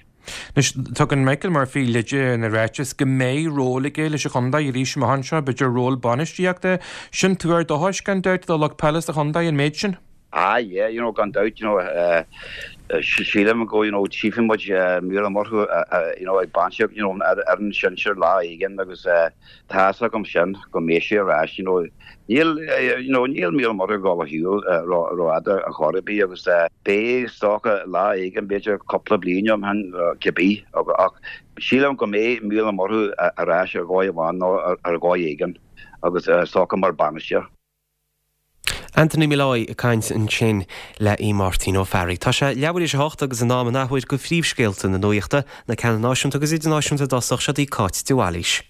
Anois, tugann Michael Murphy leide ina ráiteas go mbeidh ról aige leis an chontae arís amach anseo, b'fhéidir ról bainistíochta. Sin tuar dóchais gan dabht do lucht peile sa chontae an méid sin? Ah yeah, you know, gan dabht, you know, uh, sílim go, you know, tchífidh muid uh, Mícheál Ó Murchú, uh, uh, you know, ag bainistíocht, you know, ar, ar an sinsir lá éigin agus uh, tá a fhios agam sin go mbeidh sé ar ais, you know, níl, uh, you know, níl Mícheál Ó Murchú ag dul ar shiúl uh, rófhada ar chor ar bith agus uh, beidh is dócha lá éigin b'fhéidir cúpla bliain ó shin uh, cibé ach sílim go mbeidh Mícheál Ó Murchú ar ais ar dhóigh amháin nó ar, ar dhóigh éigin agus uh, is dócha mar bainisteoir. Anthony Molloy ag caint ansin le í Máirtín Ó Fearraigh. Tá sé leathuair théis a hocht agus in am an athuair go phríomhscéalta na nuachta na ceanna náisiúnta agus idirnáisiúnta i dtosach seo í Cáit de Bhailís.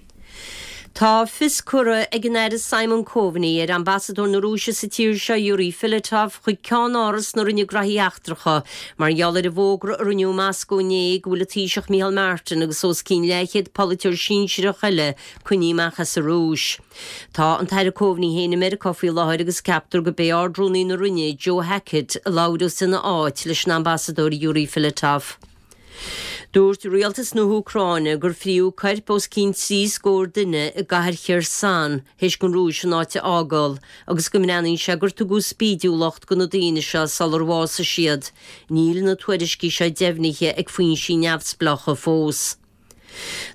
Tá fios curtha ag an Aire Simon Coveney ar ambasadóir na Rúise sa tír seo Yuri Filatov chuig ceannáras na Roinne Gnóthaí Eachtracha mar gheall ar an bhfógra a rinneadh i Moscó inné go bhfuil an Taoiseach Micheál Martin agus os cionn leathchéad polaiteoir sinsearach eile coinnithe amach as an Rúis. Tá an tAire Coveney féin i Meiriceá faoi láthair agus ceaptar gurb é Ard-Rúnaí na Roinne Joe Hackett a labhróidh ina áit leis an ambasadóir Yuri Filatov. Dúirt rialtas na hÚcráine gur fríodh coirp os cionn trí scór duine i gcathair Kherson théis don Rúis an áit a fhágáil, agus go mbreathnaíonn sé gur tugadh spídiúlacht do na daoine seo sular bhásaigh siad. Níl na tuairiscí seo deimhnithe ag foinsí neamhspleácha fós.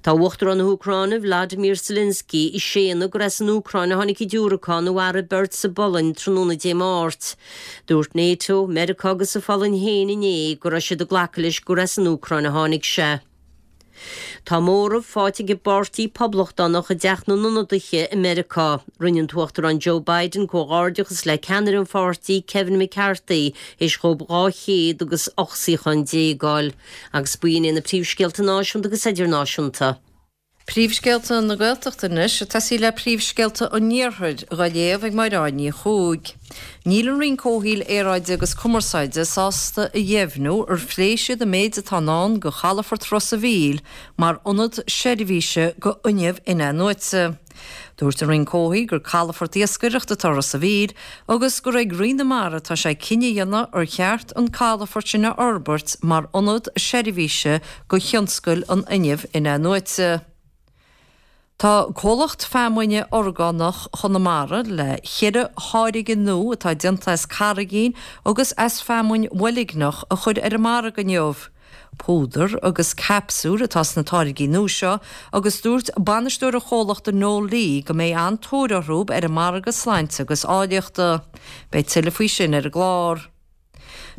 Tá Uachtarán na hÚcráine Vladimir Zelensky ag séanadh gur as an Úcráin a tháinig an diúracán a mharaigh beirt sa bPolainn tráthnóna Dé Máirt. Dúirt NATO, Meiriceá agus an Pholainn féin inné go raibh siad ag glacadh leis gur as an Úcráin a tháinig sé. Tá móramh faighte ag an bPáirtí Poblachtánach i dTeach na nIonadaithe i Meiriceá. Rinne an tUachtarán Joe Biden comhghairdeachas le ceannaire an pháirtí Kevin McCarthy théis dóibh dhá chéad agus ocht suíochán déag a fháil, agus b'in na príomhscéalta náisiúnta agus idirnáisiúnta. Príomhscéalta na Gaeltachta anois, ag tosaí le príomhscéalta an Iarthair á léamh ag Máire Ní Chuaig. Níl an Roinn Comhshaoil Aeráide agus Cumarsáide sásta a dheimhniú ar phléigh siad an méid atá i ndán do chalafort Ros an Mhíl mar ionad seirbhíse do fhuinneamh in-athnuaite. Dúirt an Roinn Comhshaoil gur calafort iascaireachta atá i Ros an Mhíl agus gur ag Roinn na Mara atá sé cinneadh a dhéanamh ar cheart an calafort sin a fhorbairt mar ionad seirbhíse do thionscal an fhuinnimh in-athnuaite. Tá comhlacht feamainne orgánach Chonamara le ceithre tháirge nua atá déanta as carraigín agus as feamainn bhoilgneach a chur ar an margadh inniu. Púdar agus capsúil atá sna táirgí nua seo agus dúirt bainisteoir an chomhlachta Noel Lee go mbeidh an-tóir orthu ar an margadh sláinte agus áilleachta. Beidh tuilleadh faoi sin ar an gclár.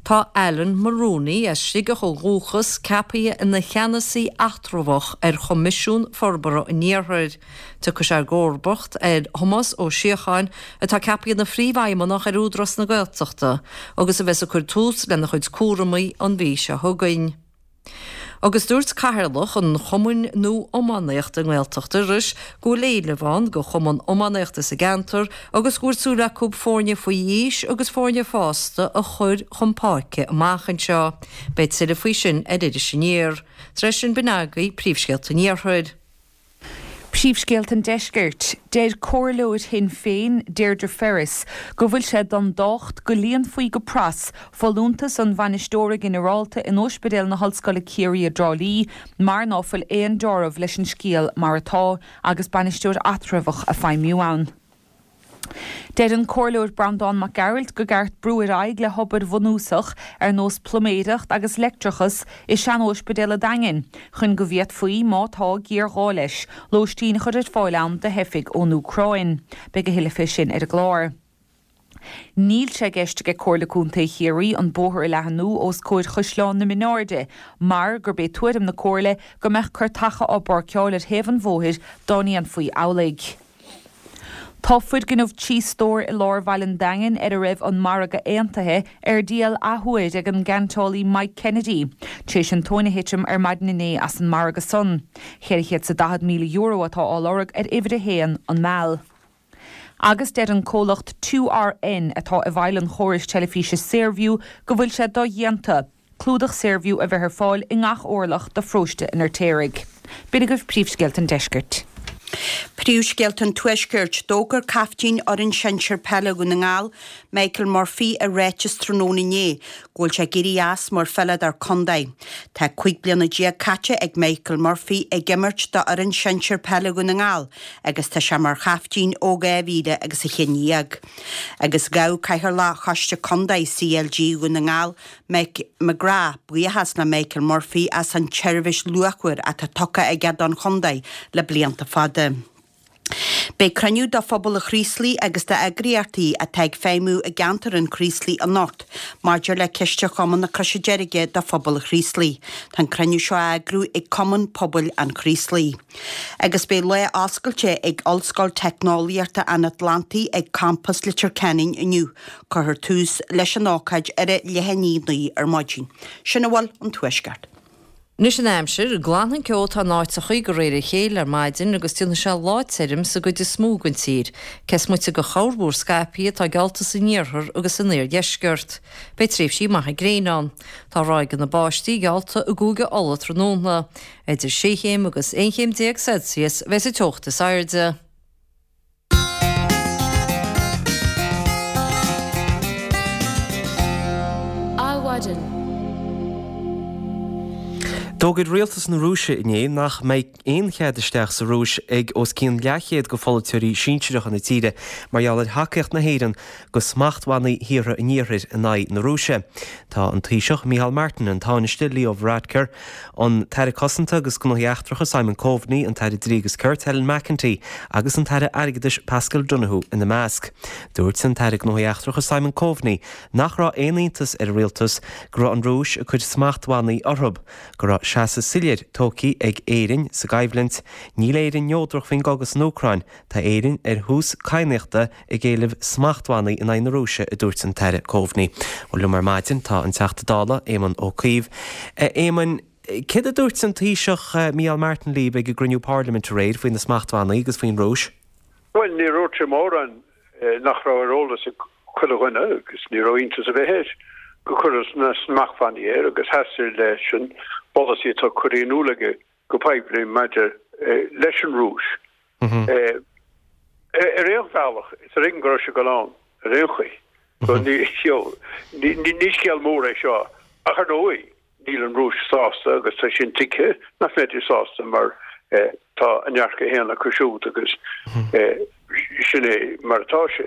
Tá Alan Mulrooney as Sligeach ó dhúchas ceaptha ina cheannasaí eatramhach ar Choimisiún Forbartha an Iarthair. Tiocfaidh sé i gcomharbacht ar Thomás Ó Síocháin atá ceaptha ina phríomhfheidhmeannach ar Údarás na Gaeltachta agus a bheas ag cur tús lena chuid cúramaí an mhí seo chugainn. Agus dúirt Cathaoirleach an Chumainn Nua Iománaíochta i nGaeltacht Iorrais go bhfuil éileamh ann do chumann iománaíochta sa gceantar agus go bhfuil súil acu foirne faoi aois agus foirne fásta a chur chun páirce amach anseo. Beidh tuilleadh faoi sin ar Iris Aniar. Tar éis sin b'in agaibh príomhscéalta an Iarthair. Príomhscéalta an Deiscirt, deir Comhairleoir Shinn Féin Deirdre Ferris go bhfuil sé don docht go líonfaí go pras folúntas an bhainisteora ginearálta in Ospidéal na hOllscoile Ciarraí i dTrá Lí mar ná fuil aon dealramh leis an scéal mar atá agus bainisteoir eatramhach ag feidhmiú ann. Deir an Comhairleoir Breandán Mac Gearailt go gceart brú ar aghaidh le hobair bhunúsach ar nós pluiméireacht agus leictreachas i sean-óispidéal an Daingin chun go bhféadfaí, má tá géarghá leis, lóistín a chur ar fáil ann do theifigh ón Úcráin. Beidh a thuilleadh fé sin ar an gclár. Níl sé i gceist ag Comhairle Contae Chiarraí an bóthar a leathnú os comhair Chaisleán na Mínáirde mar gurb é tuairim na Comhairle go mbeadh cairteacha á bpáirceáil ar thaobh an bhóthair dá ndéanfaí amhlaidh. Tá foirgneamh trí stór i lár bhaile an Daingin ar a raibh an margadh aontaithe ar díol athuair ag an gceantálaí Mike Kennedy tar éis an tóin a thitim ar maidin inné as an margadh san. Ceithre chéad 's a daichead míle euro atá á lorg ar uimhir a haon, An Meal. Agus deir an comhlacht Two RN atá i bhfeighil an chórais teilifíse Saorview go bhfuil sé dodhéanta clúdach Saorview a bheith ar fáil i ngach orlach de pharóiste an Fheirtéaraigh. B'in agaibh príomhscéalta an deiscirt. Príomhscéalta an Tuaiscirt, D'fhógair caiftín fhoireann sinsir peile Dhún na nGall, Michael Murphy i ráiteas tráthnóna inné go bhfuil sé ag éirí as mar pheileadóir contae. Tá cúig bliana déag caite ag Michael Murphy ag imirt do fhoireann sinsir peile Dhún na nGall agus tá sé mar chaiftín ó dhá mhíle agus a haon déag. Agus ghabh Cathaoirleach Choiste Contae CLG Dhún na nGall, Mick McGrath, buíochas le Michael Murphy as an tseirbhís luachmhar atá tugtha aige don chontae le blianta fada. Beidh cruinniú de phobal an Chraoslaigh agus d'eagraíochtaí atá ag feidhmiú i gceantar an Chraoslaigh anocht maidir le ciste Chumann na Croise Deirge do phobal an Chraoslaigh. Tá an cruinniú seo á eagrú ag Cumann Pobail an Chraoslaigh. Agus beidh lá oscailte ag Ollscoil Teicneolaíochta an Atlantaigh ag Campas Leitir Ceanainn inniu. Cuirfear tús leis an ócáid ar a leath i ndiaidh a naoi ar maidin. Sin a bhfuil ón Tuaisceart. Anois an aimsir, glanfaidh an ceo atá in áiteachaí de réir a chéile ar maidin agus déanfaidh sé lá tirim sa gcuid is mó den tír, cé is moite de chorrmhúr scaipthe atá geallta san iarthar agus san oirdheisceart. Beidh tréimhsí maithe gréine ann. Tá ráigeanna báistí geallta i gCúige Uladh tráthnóna. Idir sé chéim agus aon chéim déag Celsius a bheas an teocht is airde. Adhmhaidin. D'fhógair rialtas na Rúise inné nach mbeidh aon chead isteach sa Rúis ag os cionn leathchéad de pholaiteoirí sinsearacha na tíre mar gheall ar thacaíocht na hÉireann do smachtbhannaí thíortha an Iarthair in aghaidh na Rúise. Tá an Taoiseach Micheál Martin, an Tánaiste Leo Varadkar, an tAire Cosanta agus Gnóthaí Eachtracha Simon Coveney, an tAire Dlí agus Cirt Helen McEntee agus an tAire Airgeadais Paschal Donohoe ina measc. Dúirt an tAire Gnóthaí Eachtracha Simon Coveney nach raibh aon iontas ar an rialtas go raibh an Rúis ag cur smachtbhannaí orthu, go raibh seasamh soiléir tógtha ag Éirinn sa gcoimhlint. Níl Éirinn neodrach faoin gcogadh san Úcráin, tá Éirinn ar thús cadhnaíochta ag éileamh smachtbhannaí in aghaidh na Rúise, a dúirt an tAire Coveney. Bhuel, liom ar maidin tá an Teachta Dála, Éamon Ó Cuív. A Éamoin, céard a dúirt an Taoiseach Micheál Martin libh ag an gcruinniú parlaiminte aréir faoi na smachtbhannaí agus faoin Rúis? Bhuel, níor dhúirt sé mórán nach raibh ar eolas ag chuile dhuine, agus ní raibh iontas ar bith air, gur cuireadh na smachtbhannaí air agus sheas sé leis an bpolasaí atá curtha in iúl aige go poiblí maidir leis an Rúis. Ar aon bhealach, is ar éigean go raibh sé ag dul ann ar aon chaoi. So ní ní scéal mór é seo, ach ar ndóigh níl an Rúis sásta agus tá sin tuigthe nach mbeidís sásta mar tá a ndearcadh féin acu siúd agus sin é mar atá sé.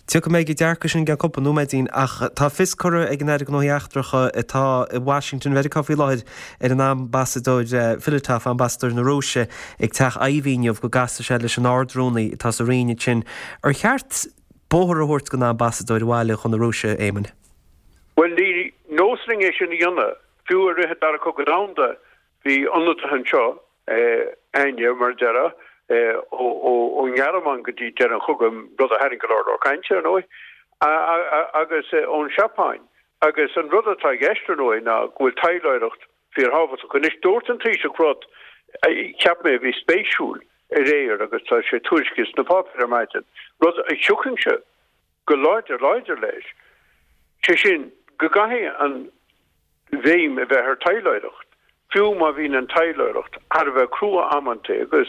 Tiocfaidh mé ag an dearcadh sin i gceann cúpla nóiméidín ach tá fios curtha ag an Aire Gnóthaí Eachtracha atá i Washington Mheiriceá faoi láthair ar an Ambasadóir Filatov, Ambasadóir na Rúise ag Teach Iveagh inniu go gcasfaidh sé leis an Ard-Rúnaí atá sa Roinn ansin. Ar cheart bóthar a thabhairt don Ambasadóir abhaile chun na Rúise, a Éamoin? Bhuel, ní nós linn é sin a dhéanamh. Fiú i rith an Dara Cogadh Domhanda bhí ionadaithe anseo againne, mar a déarfá, ón nGearmáin go dtí deireadh an chogaidh, rud a tharraing go leor leor cainte, ar ndóigh, agus ón Seapáin. Agus an rud atá i gceist, ar ndóigh, ná go bhfuil taidhleoireacht fíorthábhachtach. Anois, dúirt an Taoiseach rud a cheap mé a bhí spéisiúil aréir agus tá sé tuairiscithe sna páipéir ar maidin, rud a thiocfainnse go láidir láidir leis, sé sin go gcaithfidh an bhéim a bheith ar taidhleoireacht, fiú má bhíonn an taidhleoireacht thar a bheith crua amanntaí agus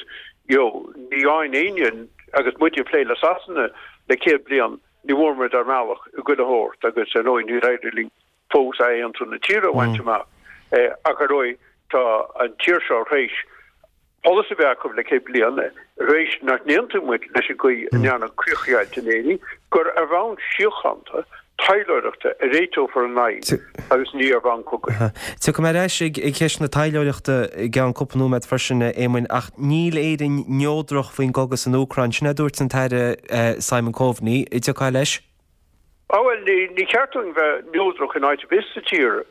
you know ní fhaigheann éinne agus muid ag plé le Sasana le céad bliain ní bhfuair muid ár mbealach i gchuile shórt agus ar ndóigh níor éirigh linn fós athaontú na tíre a bhaint amach ach ar ndóigh tá an tír seo tar éis polasaí a bheith acu le céad bliain, tar éis nach n-aontaíonn muid leis an gcaoi a ndearnadh críochdheighilt in Éirinn, gur ar bhonn síochánta, taidhleoireachta a réiteofar an fhadhb agus ní ar bhonn cogaidh. Tiocfaidh mé ar ais ag ceist na taidhleoireachta i gceann cúpla nóiméad freisin, a Éamoinn, ach níl Éirinn neodrach faoin gcogadh san Úcráin. Sin é a dúirt an tAire Simon Coveney. An dtiocfá leis? Á bhuel, ní ceart dúinn bheith neodrach in áit ar bith sa tír.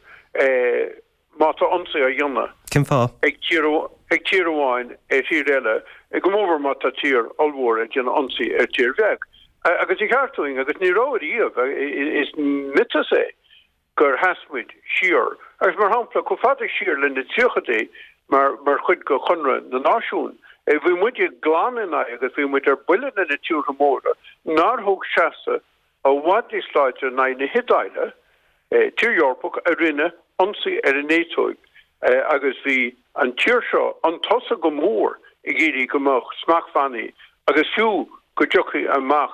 Má tá ionsaí á dhéanamh Cén fáth? ag tír ag tír amháin ar thír eile, go mórmhór má tá tír ollmhór ag déanamh ionsaí ar tír bheag. Agus ní ceart dúinn, agus ní raibh ariamh, is miotas é gur sheas muid siar. Agus mar shampla, chomh fada siar le na tríochaidí, mar mar chuid de Chonradh na Náisiún, bhí muide glan in aghaidh agus bhí muid ar buile le na tíortha móra nár thug seasamh i bhfad níos láidre in aghaidh na hIodáile, tír Eorpach a rinne ionsaí ar an Aetóip, agus bhí an tír seo chun tosaigh go mór ag iarraidh go mbeadh smachtbhannaí agus fiú go dtiocfaí amach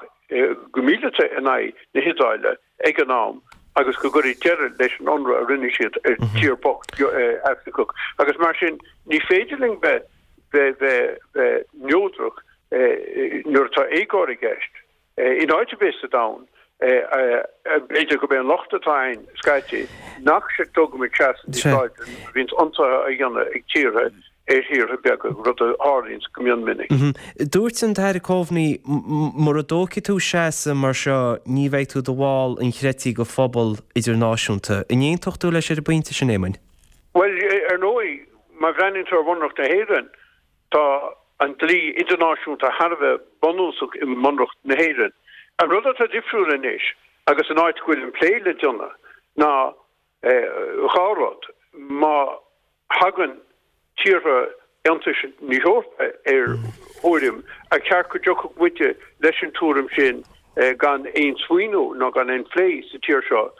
go míleata in aghaidh na hIodáile ag an am agus go gcuirfí deireadh leis an ionradh a rinne siad ar tír bocht Afracach. Agus mar sin ní féidir linn bheith bheith bheith bheith neodrach nuair atá éagóir i gceist. In áit ar bith sa domhan, b'fhéidir gurb é an locht atá ann scaití nach dtugaimid seasamh níos láidre nuair a bhíonns ionsaithe á dhéanamh ag tíortha ar thíortha beaga, rud a tharlaíonns go mion minic. Dúirt an tAire Coveney, mura dtógfaidh tú seasamh mar seo ní bheidh tú i do bhall inchreidte de phobal idirnáisiúnta. An aontódh tú leis ar an bpointe sin, Éamoinn? Bhuel, ar ndóigh, má bhreathnaíonn tú ar Bhunreacht na hÉireann, tá an dlí idirnáisiúnta thar a bheith bunúsach i mBunreacht na hÉireann. An rud atá difriúil anois, agus an áit go bhfuil an plé le déanamh, ná dhá rud, má thagann tíortha Aontais na hEorpa ar thuairim, ar cheart go dtiocfadh muide leis an tuairim sin gan aon smaoineamh nó gan aon phlé sa tír seo,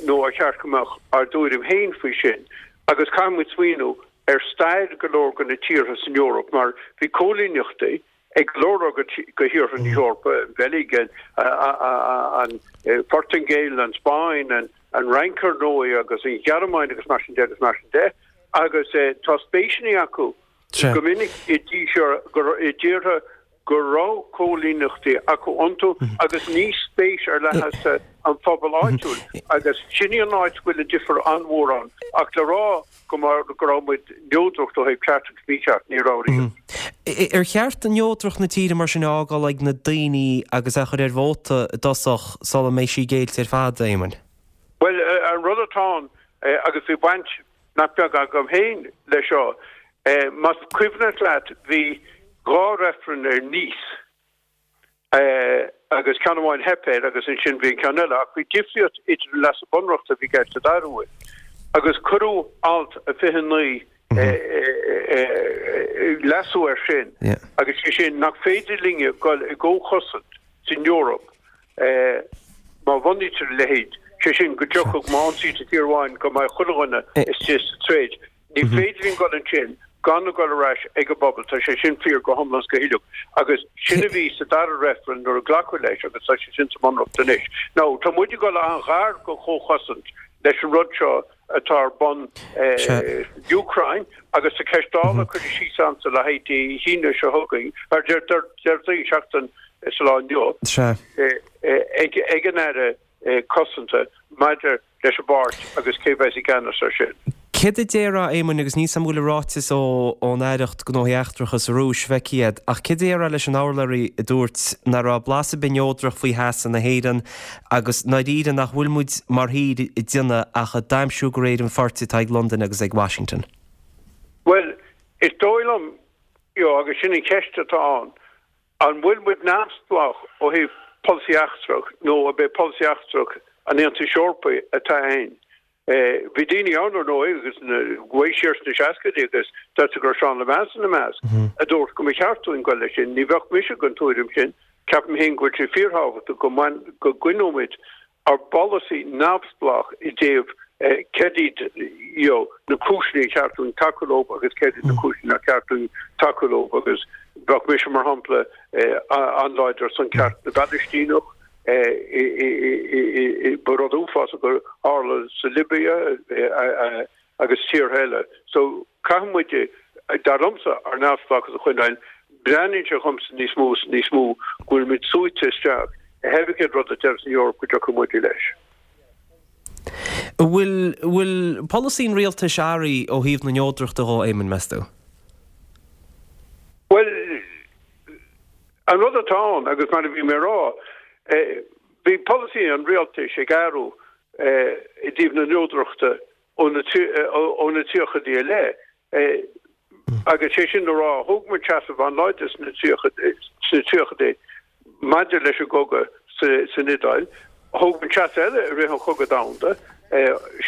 nó ar cheart go mbeadh ár dtuairim féin faoi sin? Agus caithfidh muid smaoineamh ar stair go leor de na tíortha san Eoraip, mar bhí cóilíneachtaí ag go leor de thíortha na hEorpa, an Bheilg, an Phortaingéil, an Spáinn, an Fhrainc ar ndóigh, agus an Ghearmáin agus mar sin de agus mar sin de, agus tá spéiseanna acu go minic i dtíortha go raibh cóilíneachtaí acu iontu agus ní spéis ar leith leis an phobal áitiúil agus sin í an áit go bhfuil an difear an-mhór ann ach le rá go go raibh muid neodrach ó thaobh ceart agus mícheart, ní raibh riamh. Ar cheart neodracht na tíre mar sin a fhágáil ag na daoine agus a chur ar vóta i dtosach sula mbeidh sí géillte ar fad, a Éamoinn? Bhuel, an rud atá ann, agus bhí baint nach beag agam féin leis seo. Más cuimhneach leat, bhí dhá reifreann ar Nice agus ceann amháin theip air agus ansin bhí an ceann eile ach bhí difríocht idir an leasú bunreachta a bhí i gceist sa dara huair agus cuireadh alt a fiche naoi leasú air sin agus sé sin nach féidir linne dul i gcomhchosaint san Eoraip má bhunaítear a leithéid, sé sin go dtiocfadh má ionsaítear tír amháin go mbeadh chuile dhuine istigh sa troid. Ní féidir linn dul ansin gan a dhul ar ais ag an bpobal, tá sé sin fíor go hiomlán is go huile agus sin a bhí sa dara reifreann nuair a glacadh leis agus tá sé sin sa mBunreacht anois. Now, tá muid ag dul an-ghar go chomhchosaint leis an rud seo atá ar bun san Úcráin agus tá ceist Dála curtha síos a'msa le haghaidh Dé hAoine seo chugainn, ar Déardaoin, seachtain sa lá inniu, ag an Aire Cosanta maidir leis an bpáirt agus cé bheas i gceannas ar sin. Céard a déarfá, a Éamoinn, agus níl 's a'm an bhfuil an ráiteas ón Aireacht Gnóthaí Eachtracha sa Rúis feicthe a'd, ach céard a déarfá leis an urlabhraí a dúirt nach raibh blas ar bith neodrach faoi sheasamh na hÉireann agus ndáiríre nach bhfuil muid mar thír ag déanamh ach ag damhsú de réir an phoirt atá ag Londain agus ag Washington? Bhuel, is dóigh liom, you know, agus sin an cheist atá ann, an bhfuil muid neamhspleách ó thaobh polasaí eachtrach nó ab é polasaí eachtrach an Aontais Eorpaigh atá ann? Bhí daoine ann, ar ndóigh, agus gabh siar sna seascaidí agus deirtear go raibh Seán Lemass ina measc, a dúirt go mba cheart dúinn goil leis sin. Ní bheadh mise den tuairim sin. Ceapaim féin go bhfuil sé fíorthábhachtach go go gcoinneoimid ár bpolasaí neamhspleách i dtaobh céard iad you know na cúiseanna ar cheart dúinn tacú leo agus céard iad na cúiseanna nár cheart dúinn tacú leo agus bheadh mise, mar shampla, an-láidir ar son ceart na bPalaistíneach. Ba rud uafásach a tharla sa Libia agus tíortha eile. So caithfidh muid dar liomsa, ár neamhspleáchas a choinneáil, breathnaíonn sé dhomsa níos mó is níos mó go bhfuil muid súite isteach i pé cén rud a deir an Eoraip go dtiocfaidh muid leis. An bhfuil, bhfuil polasaí an rialtais athraithe ó thaobh na neodrachta dhó, Éamonn, meas tú? Bhuel, an rud atá ann, agus mar a bhí mé a rá, bhí polasaí an rialtais ag athrú i dtaobh na neodrachta ó na ó na tríochaidí i leith. Agus sé sin le rá, thóg muid seasamh an-láidir sna tríochaidí maidir leis an gcogadh san Iodáil. Thóg muid seasamh eile i rith an Chogaidh Domhanda,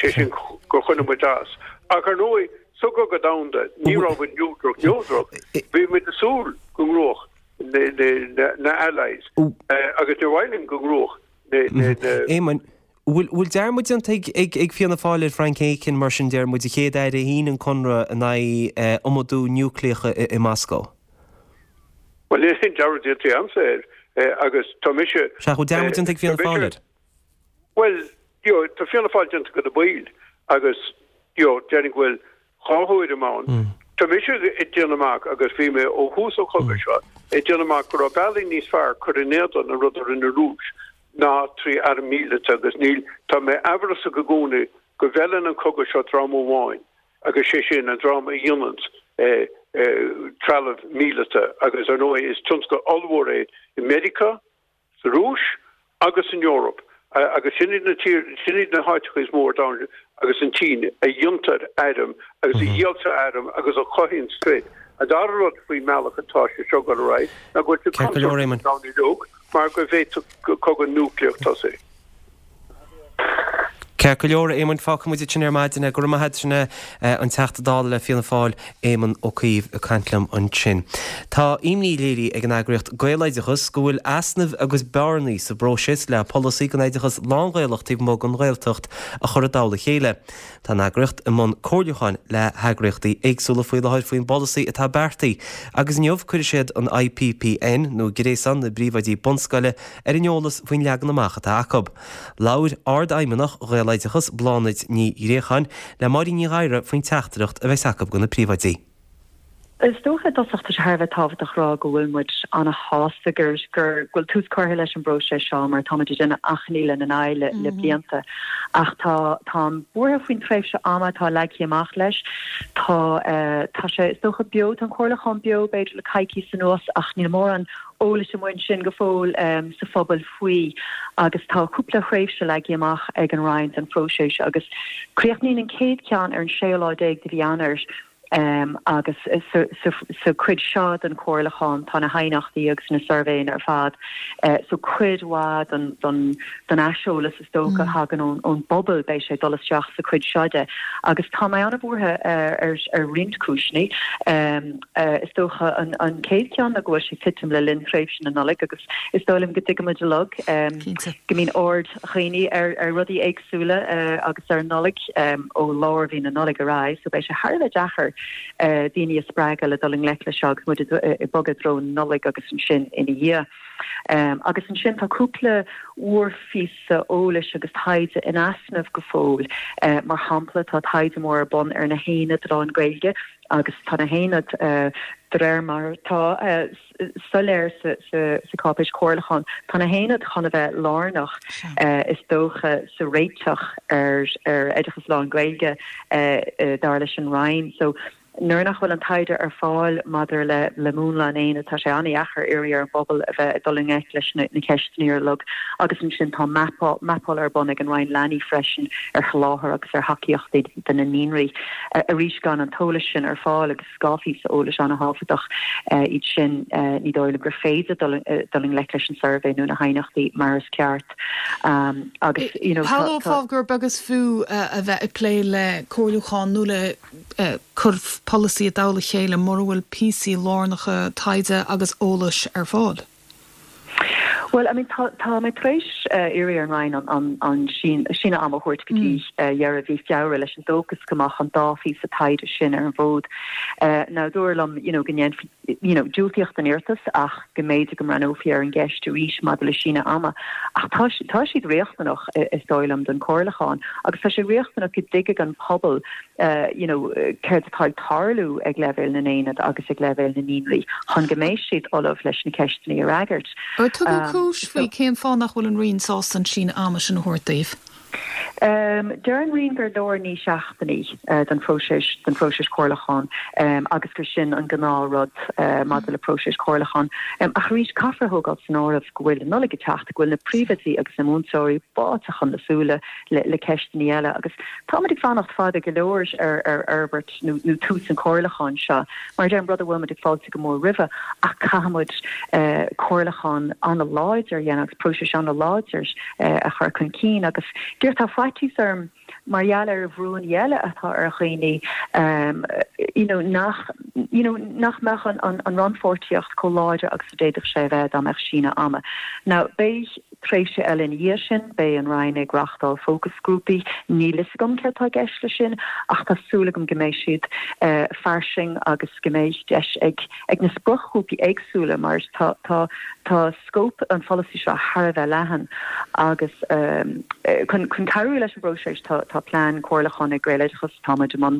sé sin gur choinnigh muid as. Ach ar ndóigh, sa gCogadh Domhanda, ní raibh muid neodrach neodrach. Bhí muid ag súil go ngnóthódh na Allies agus níor mhaith linn go ngnóthódh na. Éamonn, bhfuil dearmad déanta ag Fianna Fáil ar Frank Aiken, mar sin, deir muid, an chéad aire a shínigh an conradh in aghaidh iomadú núicléach i Moscó? Bhuel, níl aon dearmad déanta agamsa air agus tá mise. Sea, bhfuil dearmad déanta ag Fianna Fáil air? Bhuel, you know, tá Fianna Fáil déanta de na baill agus, you know, déarfainn go bhfuil dhá thuairim ann. Tá mise ag déanamh amach agus bhí mé ó thús an chogaidh seo ag déanamh amach go raibh bealaí níos fearr cur in éadan an rud a rinne an Rúis ná trí arm míleata agus níl, tá mé amhrasach i gcónaí go bhfeileann an cogadh seo dream amháin agus sé sin an dream a dhéananns trealamh míleata agus ar ndóigh is tionscal ollmhór é i Meiriceá, sa Rúis agus san Eoraip agus sin iad na tír, sin iad na háiteacha is mó ar domhan agus an tSín a dhéantar airm agus a dhíoltar airm agus a chothaíonn troid. An dara rud faoin mbealach atá sé seo ag dul ar aghaidh ná go bhfuil sé Ceart go leor, contúirteach Éamonn. don domhan uilig mar go bhféadfadh cogadh núicléach tosú. Ceart go leor, a Éamoinn, fágfaidh muid ansin ar maidin é. Go raibh maith agat, sin é an Teachta Dála le Fianna Fáil, Éamon Ó Cuív, ag caint liom ansin. Tá imní léirithe ag an eagraíocht Gaeloideachas go bhfuil easnaimh agus bearnaí sa bpróiseas le polasaí don oideachas lán-Ghaelach taobh amuigh den Ghaeltacht a chur i dtoll a chéile. Tá an eagraíocht i mbun comhairliúcháin le heagraíochtaí éagsúla faoi láthair faoin bpolasaí atá beartaithe agus inniu cuirfidh siad an I P P N, nó Gréasán na bPríomhoidí Bunscoile, ar an eolas faoin leagan amach atá acu. Labhair Ardfheidhmeannach Ghaeloideachas, Bláthnaid Ní Ghréacháin, le Máirín Ní Ghadhra faoin teachtaireacht a bheas acu do na príomhoidí. Is dócha i dtosach tá sé thar a bheith tábhachtach a rá go bhfuil muid an-shásta gur gur go bhfuil tús curtha leis an bpróiseas seo mar táimid ag déanamh achainí lena n-aghaidh le le blianta. Ach tá táim buartha faoin tréimhse ama atá leagtha amach leis. Tá tá sé is dócha beo tá an comhairliúchán beo b'fhéidir le coicís anuas ach níl mórán eolais amuigh ansin go fóill sa phobal faoi agus tá cúpla thréimhse leagtha amach ag an Roinn don phróiseas agus críochnaíonn an chéad cheann ar an séú lá déag de mhí Eanáir agus sa chuid seo den chomhairliúchán tá na haighneachtaí agus na suirbhéanna ar fad so cuid mhaith den den den aiseolas is dócha a thagann ón bpobal beidh sé ag dul isteach sa chuid seo de agus tá mé an-bhuartha ar ar roinnt cúiseanna. Is dócha an an chéad cheann ná go bhfuil sé ag titim le linn tréimhse na Nollag agus is dóigh liom go dtuigimid uilig go mbíonn aird dhaoine ar ar rudaí éagsúla agus ar an Nollaig ó lár mhí na Nollag ar aghaidh so beidh sé thar a bheith deacair daoine a spreagadh le dul i ngleic leis seo agus muid ag bogadh i dtreo na Nollag agus ansin ina dhiaidh. Agus ansin tá cúpla mhórphíosa eolais agus taighde in easnamh go fóill. Mar shampla tá taighde mór ar bun ar na haonaid lán-Ghaeilge agus tá na haonaid de réir mar atá soiléir sa cháipéis chomhairliúcháin, tá na haonaid chun a bheith lárnach is dócha sa réiteach ar ar oideachas lán-Ghaeilge dar leis an Roinn. So nuair nach bhfuil an taighde ar fáil maidir le le múnla an aonaid tá sé an-dheacair iarraidh ar an bpobal a bheith ag dul i ngleic leis na na ceisteanna uilig agus ansin tá mapáil ar bun ag an Roinn Leanaí freisin ar sholáthar agus ar thacaíochtaí do na naíonraí. Arís gan an t-eolas sin ar fáil agus dhá phíosa eolais an-thábhachtach iad sin ní dóigh liom gur féidir dul dul i ngleic leis an suirbhé nó na haighneachtaí mar is ceart agus you know Shamhlófá gur beag is fiú a bheith ag plé le comhairliúchán nó le cur polasaí i dtoll a chéile mura bhfuil píosaí lárnacha taighde agus eolais ar fáil. Well, I mean, tá tá mé tar éis iarraidh ar an Roinn an an an síneadh ama a thabhairt go dtí dheireadh mhí Feabhra leis an dóchas go mbeadh an dá phíosa taighde sin ar an bhfód. Now dúradh liom, you know, go ndéanfaí, you know, diúltaíodh don iarratas ach go mb'fhéidir go mbreathnófaí ar an gceist arís maidir le síneadh ama. Ach tá tá siad riachtanach is dóigh liom don chomhairliúchán agus tá sé riachtanach go dtuigfidh an pobal you know, céard atá ag tarlú ag leibhéal na n-aonad agus ag leibhéal na naíonraí chun go mbeidh siad ullamh leis na ceisteanna a fhreagairt. Ar tugadh cúis faoi cén fáth nach bhfuil an Roinn sásta an síneadh ama sin a thabhairt daoibh? Deir an Roinn gur leor naoi seachtainí don phróiseas don phróiseas comhairliúcháin agus gur sin an gnáthrud maidir le próiseas comhairliúcháin. Ach arís, caithfear a thógáil san áireamh go bhfuil an Nollaig ag teacht, go bhfuil na príomhoidí agus na múinteoirí báite chun na súile le ceisteanna eile agus táimid ag fanacht fada go leor ar ar fhorbairt nó nó tús an chomhairliúcháin seo. Mar a deirim, rud a bhfuil muid ag fáiltiú go mór roimhe ach caithfimid comhairliúchán an-láidir a dhéanamh agus próiseas an-láidir a chur chun cinn agus díreach tá faitíos orm mar gheall ar bhrúnna eile atá ar dhaoine you know nach you know nach mbeadh an an an rannpháirtíocht chomh láidir agus a d'fhéadfadh sé a bheith dá mbeadh síneadh ama. Now beidh tréimhse eile ina dhiaidh sin, beidh an Roinn ag reáchtáil fócasghrúpaí, níl fhios agam céard atá i gceist leis sin ach tá súil agam go mbeidh siad fairsing agus go mbeidh deis ag ag na spriocghrúpaí éagsúla mar tá tá tá scóip an pholasaí seo thar a bheith leathan agus chun chun cabhrú leis an bpróiseas tá tá plean comhairliúcháin ag Gaeloideachas, táimid i mbun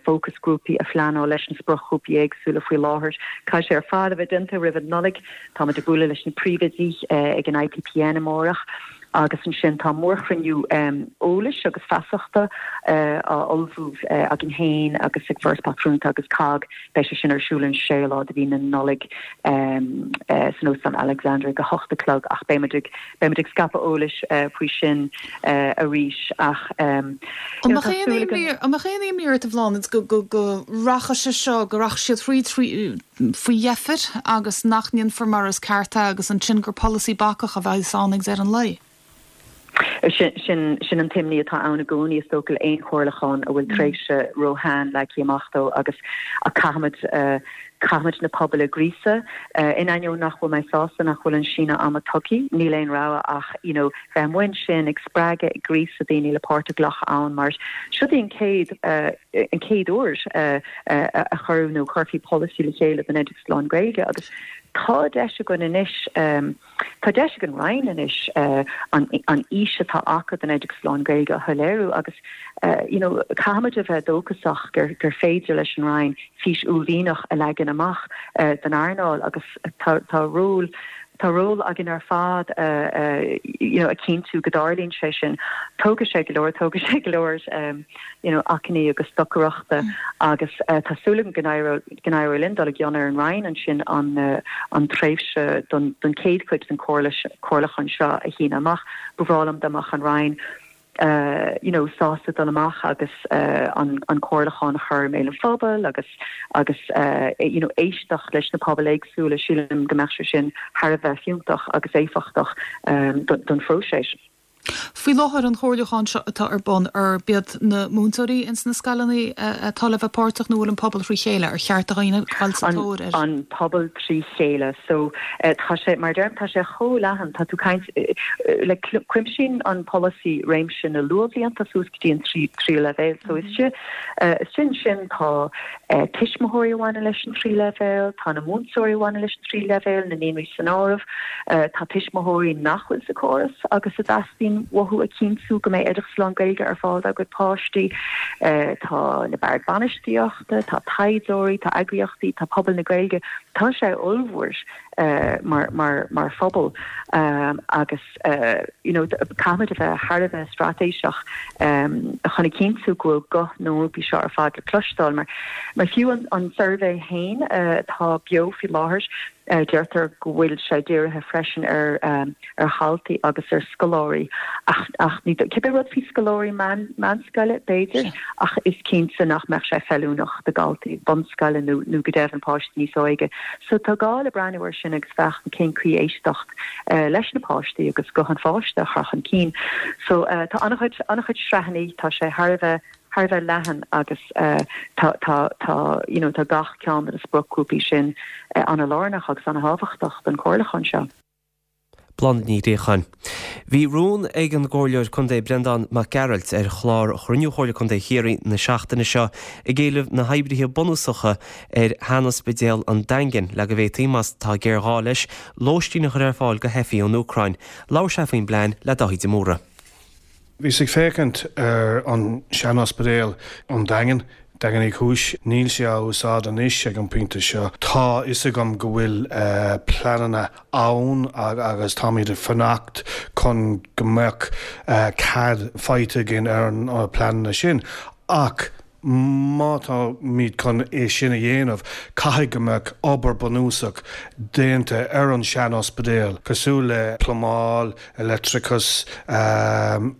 fócasghrúpaí a phleanáil leis na spriocghrúpaí éagsúla faoi láthair. Caithfidh sé ar fad a bheith déanta roimh an Nollaig. Táimid ag bualadh leis na príomhoidí ag an IPPN amárach agus ansin tá mórchruinniú eolais agus feasachta á ullmhú againn féin agus ag Foras Pátrúnachta agus cogg. Beidh sé sin ar siúl an séú lá de mhí na Nollag san Óstán Alexandra ag a hocht a chlog ach beimid ag beimid ag scaipeadh eolais faoi sin arís ach An mbeadh aon imní an mbeadh aon imní ort a Bhláthnaid go go go rachadh sé seo go rachadh siad thríd trí faoi dheifir agus nach ndéanfar mar is ceart é agus ansin gur polasaí bacach a bheas ann ag deireadh an lae. Sin sin an t-imní atá ann i gcónaí is dócha le aon chomhairliúchán a bhfuil tréimhse róshean leagtha amach dó agus ach caithfimid caithfimid na pobail a ghríosadh. In ainneoin nach bhfuil mé sásta nach bhfuil an síneadh ama tugtha, níl aon rogha ach you know bheith amuigh ansin ag spreagadh, ag gríosadh daoine le páirt a ghlacadh ann mar seo í an chéad an chéad uair a chuireadh nó chuirfí polasaí le chéile don oideachas lán-Ghaeilge agus tá deis againn anois, tá deis ag an Roinn anois an an fhís atá acu don oideachas lán-Ghaeilge a shoiléiriú agus you know caithfimid a bheith dóchasach gur gur féidir leis an Roinn fís uaillmhianach a leagan amach don earnáil agus tá tá ról Tá ról againn ar fad you know a chinntiú go dtarlaíonn sé sin. Tógfaidh sé go leor, tógfaidh sé go leor you know achainí agus stocaireachta agus tá súil agam go n-éireoidh linn dul i gcion ar an Roinn ansin an an tréimhse don don chéad chuid den chomhairliúchán seo a shíneadh amach. Ba bhreá liom dá mbeadh an Roinn you know sásta dul amach agus an an comhairliúchán a chur i mbéal an phobail agus agus you know éisteacht leis na pobail éagsúla, sílim go mbeadh sé sin thar a bheith fiúntach agus éifeachtach don phróiseas. Faoi láthair an chomhairliúchán seo atá ar bun, arb iad na múinteoirí ins na scoileanna atá le bheith páirteach nó bhfuil an pobal thrí chéile? Ar cheart do dhaoine dul sa tóir air? An pobal trí chéile. So tá sé, mar a deirim, tá sé chomh leathan, tá tú caint, like cuimsíonn an polasaí réimse na luathbhlianta suas go dtí an tríú leibhéal. So istigh ansin tá tuismitheoirí a bhaineann leis an tríú leibhéal, tá na múinteoirí a bhaineann leis an tríú leibhéal, na naíonraí san áireamh, tá tuismitheoirí nach bhfuil sa chóras agus a dteastaíonn uathu a chinntiú go mbeidh oideachas lán-Ghaeilge ar fáil dá gcuid páistí, tá na boird bainistíochta, tá taighdeoirí, tá eagraíochtaí, tá pobal na Gaeilge, tá sé ollmhór. mar mar mar phobal agus you know caithfimid a bheith thar a bheith straitéiseach chun a chinntiú go bhfuil guth na ngrúpaí seo ar fad le cloisteáil mar mar fiú an an suirbhé féin atá beo faoi láthair deirtear go bhfuil sé dírithe freisin ar ar dhaltaí agus ar scoláirí ach ach ní cibé rud faoi scoláirí meán meánscoile b'fhéidir ach is cinnte nach mbeadh sé feiliúnach do dhaltaí bunscoile nó nó go deimhin páistí níos óige. So tá gá le breathnú air sin agus féachaint cén chaoi éisteacht leis na páistí agus guth an pháiste a chur chun cinn. So tá an-chuid an-chuid sraitheanna, tá sé thar a bheith thar a bheith leathan agus tá tá tá you know tá gach ceann de na spriocghrúpaí sin an-lárnach agus an-thábhachtach don chomhairliúchán seo. Bláthnaid Ní Ghréacháin. Bhí rún ag an gComhairleoir Contae Breandán Mac Gearailt ar chlár Chruinniú Chomhairle Contae Chiarraí na seachtaine seo ag éileamh na hoibrithe bunúsacha ar shean-ospidéal an Daingin le go bhféadfaí, más tá géarghá leis, lóistín a chur ar fáil do theifigh ón Úcráin. Labhair sé faoin bplean le Dáithí de Mórdha. Bhíos ag féachaint ar an sean-ospidéal an Daingean, Daingean Uí Chúis. Níl sé á úsáid anois ag an bpointe seo. Tá fhios agam go bhfuil pleananna ann agus táimid ag fanacht chun go mbeadh cead faighte againn ar na pleananna sin. Ach má táimid chun é sin a dhéanamh, caithfidh go mbeadh obair bunúsach déanta ar an sean-ospidéal, cosúil le plumáil, leictreachas,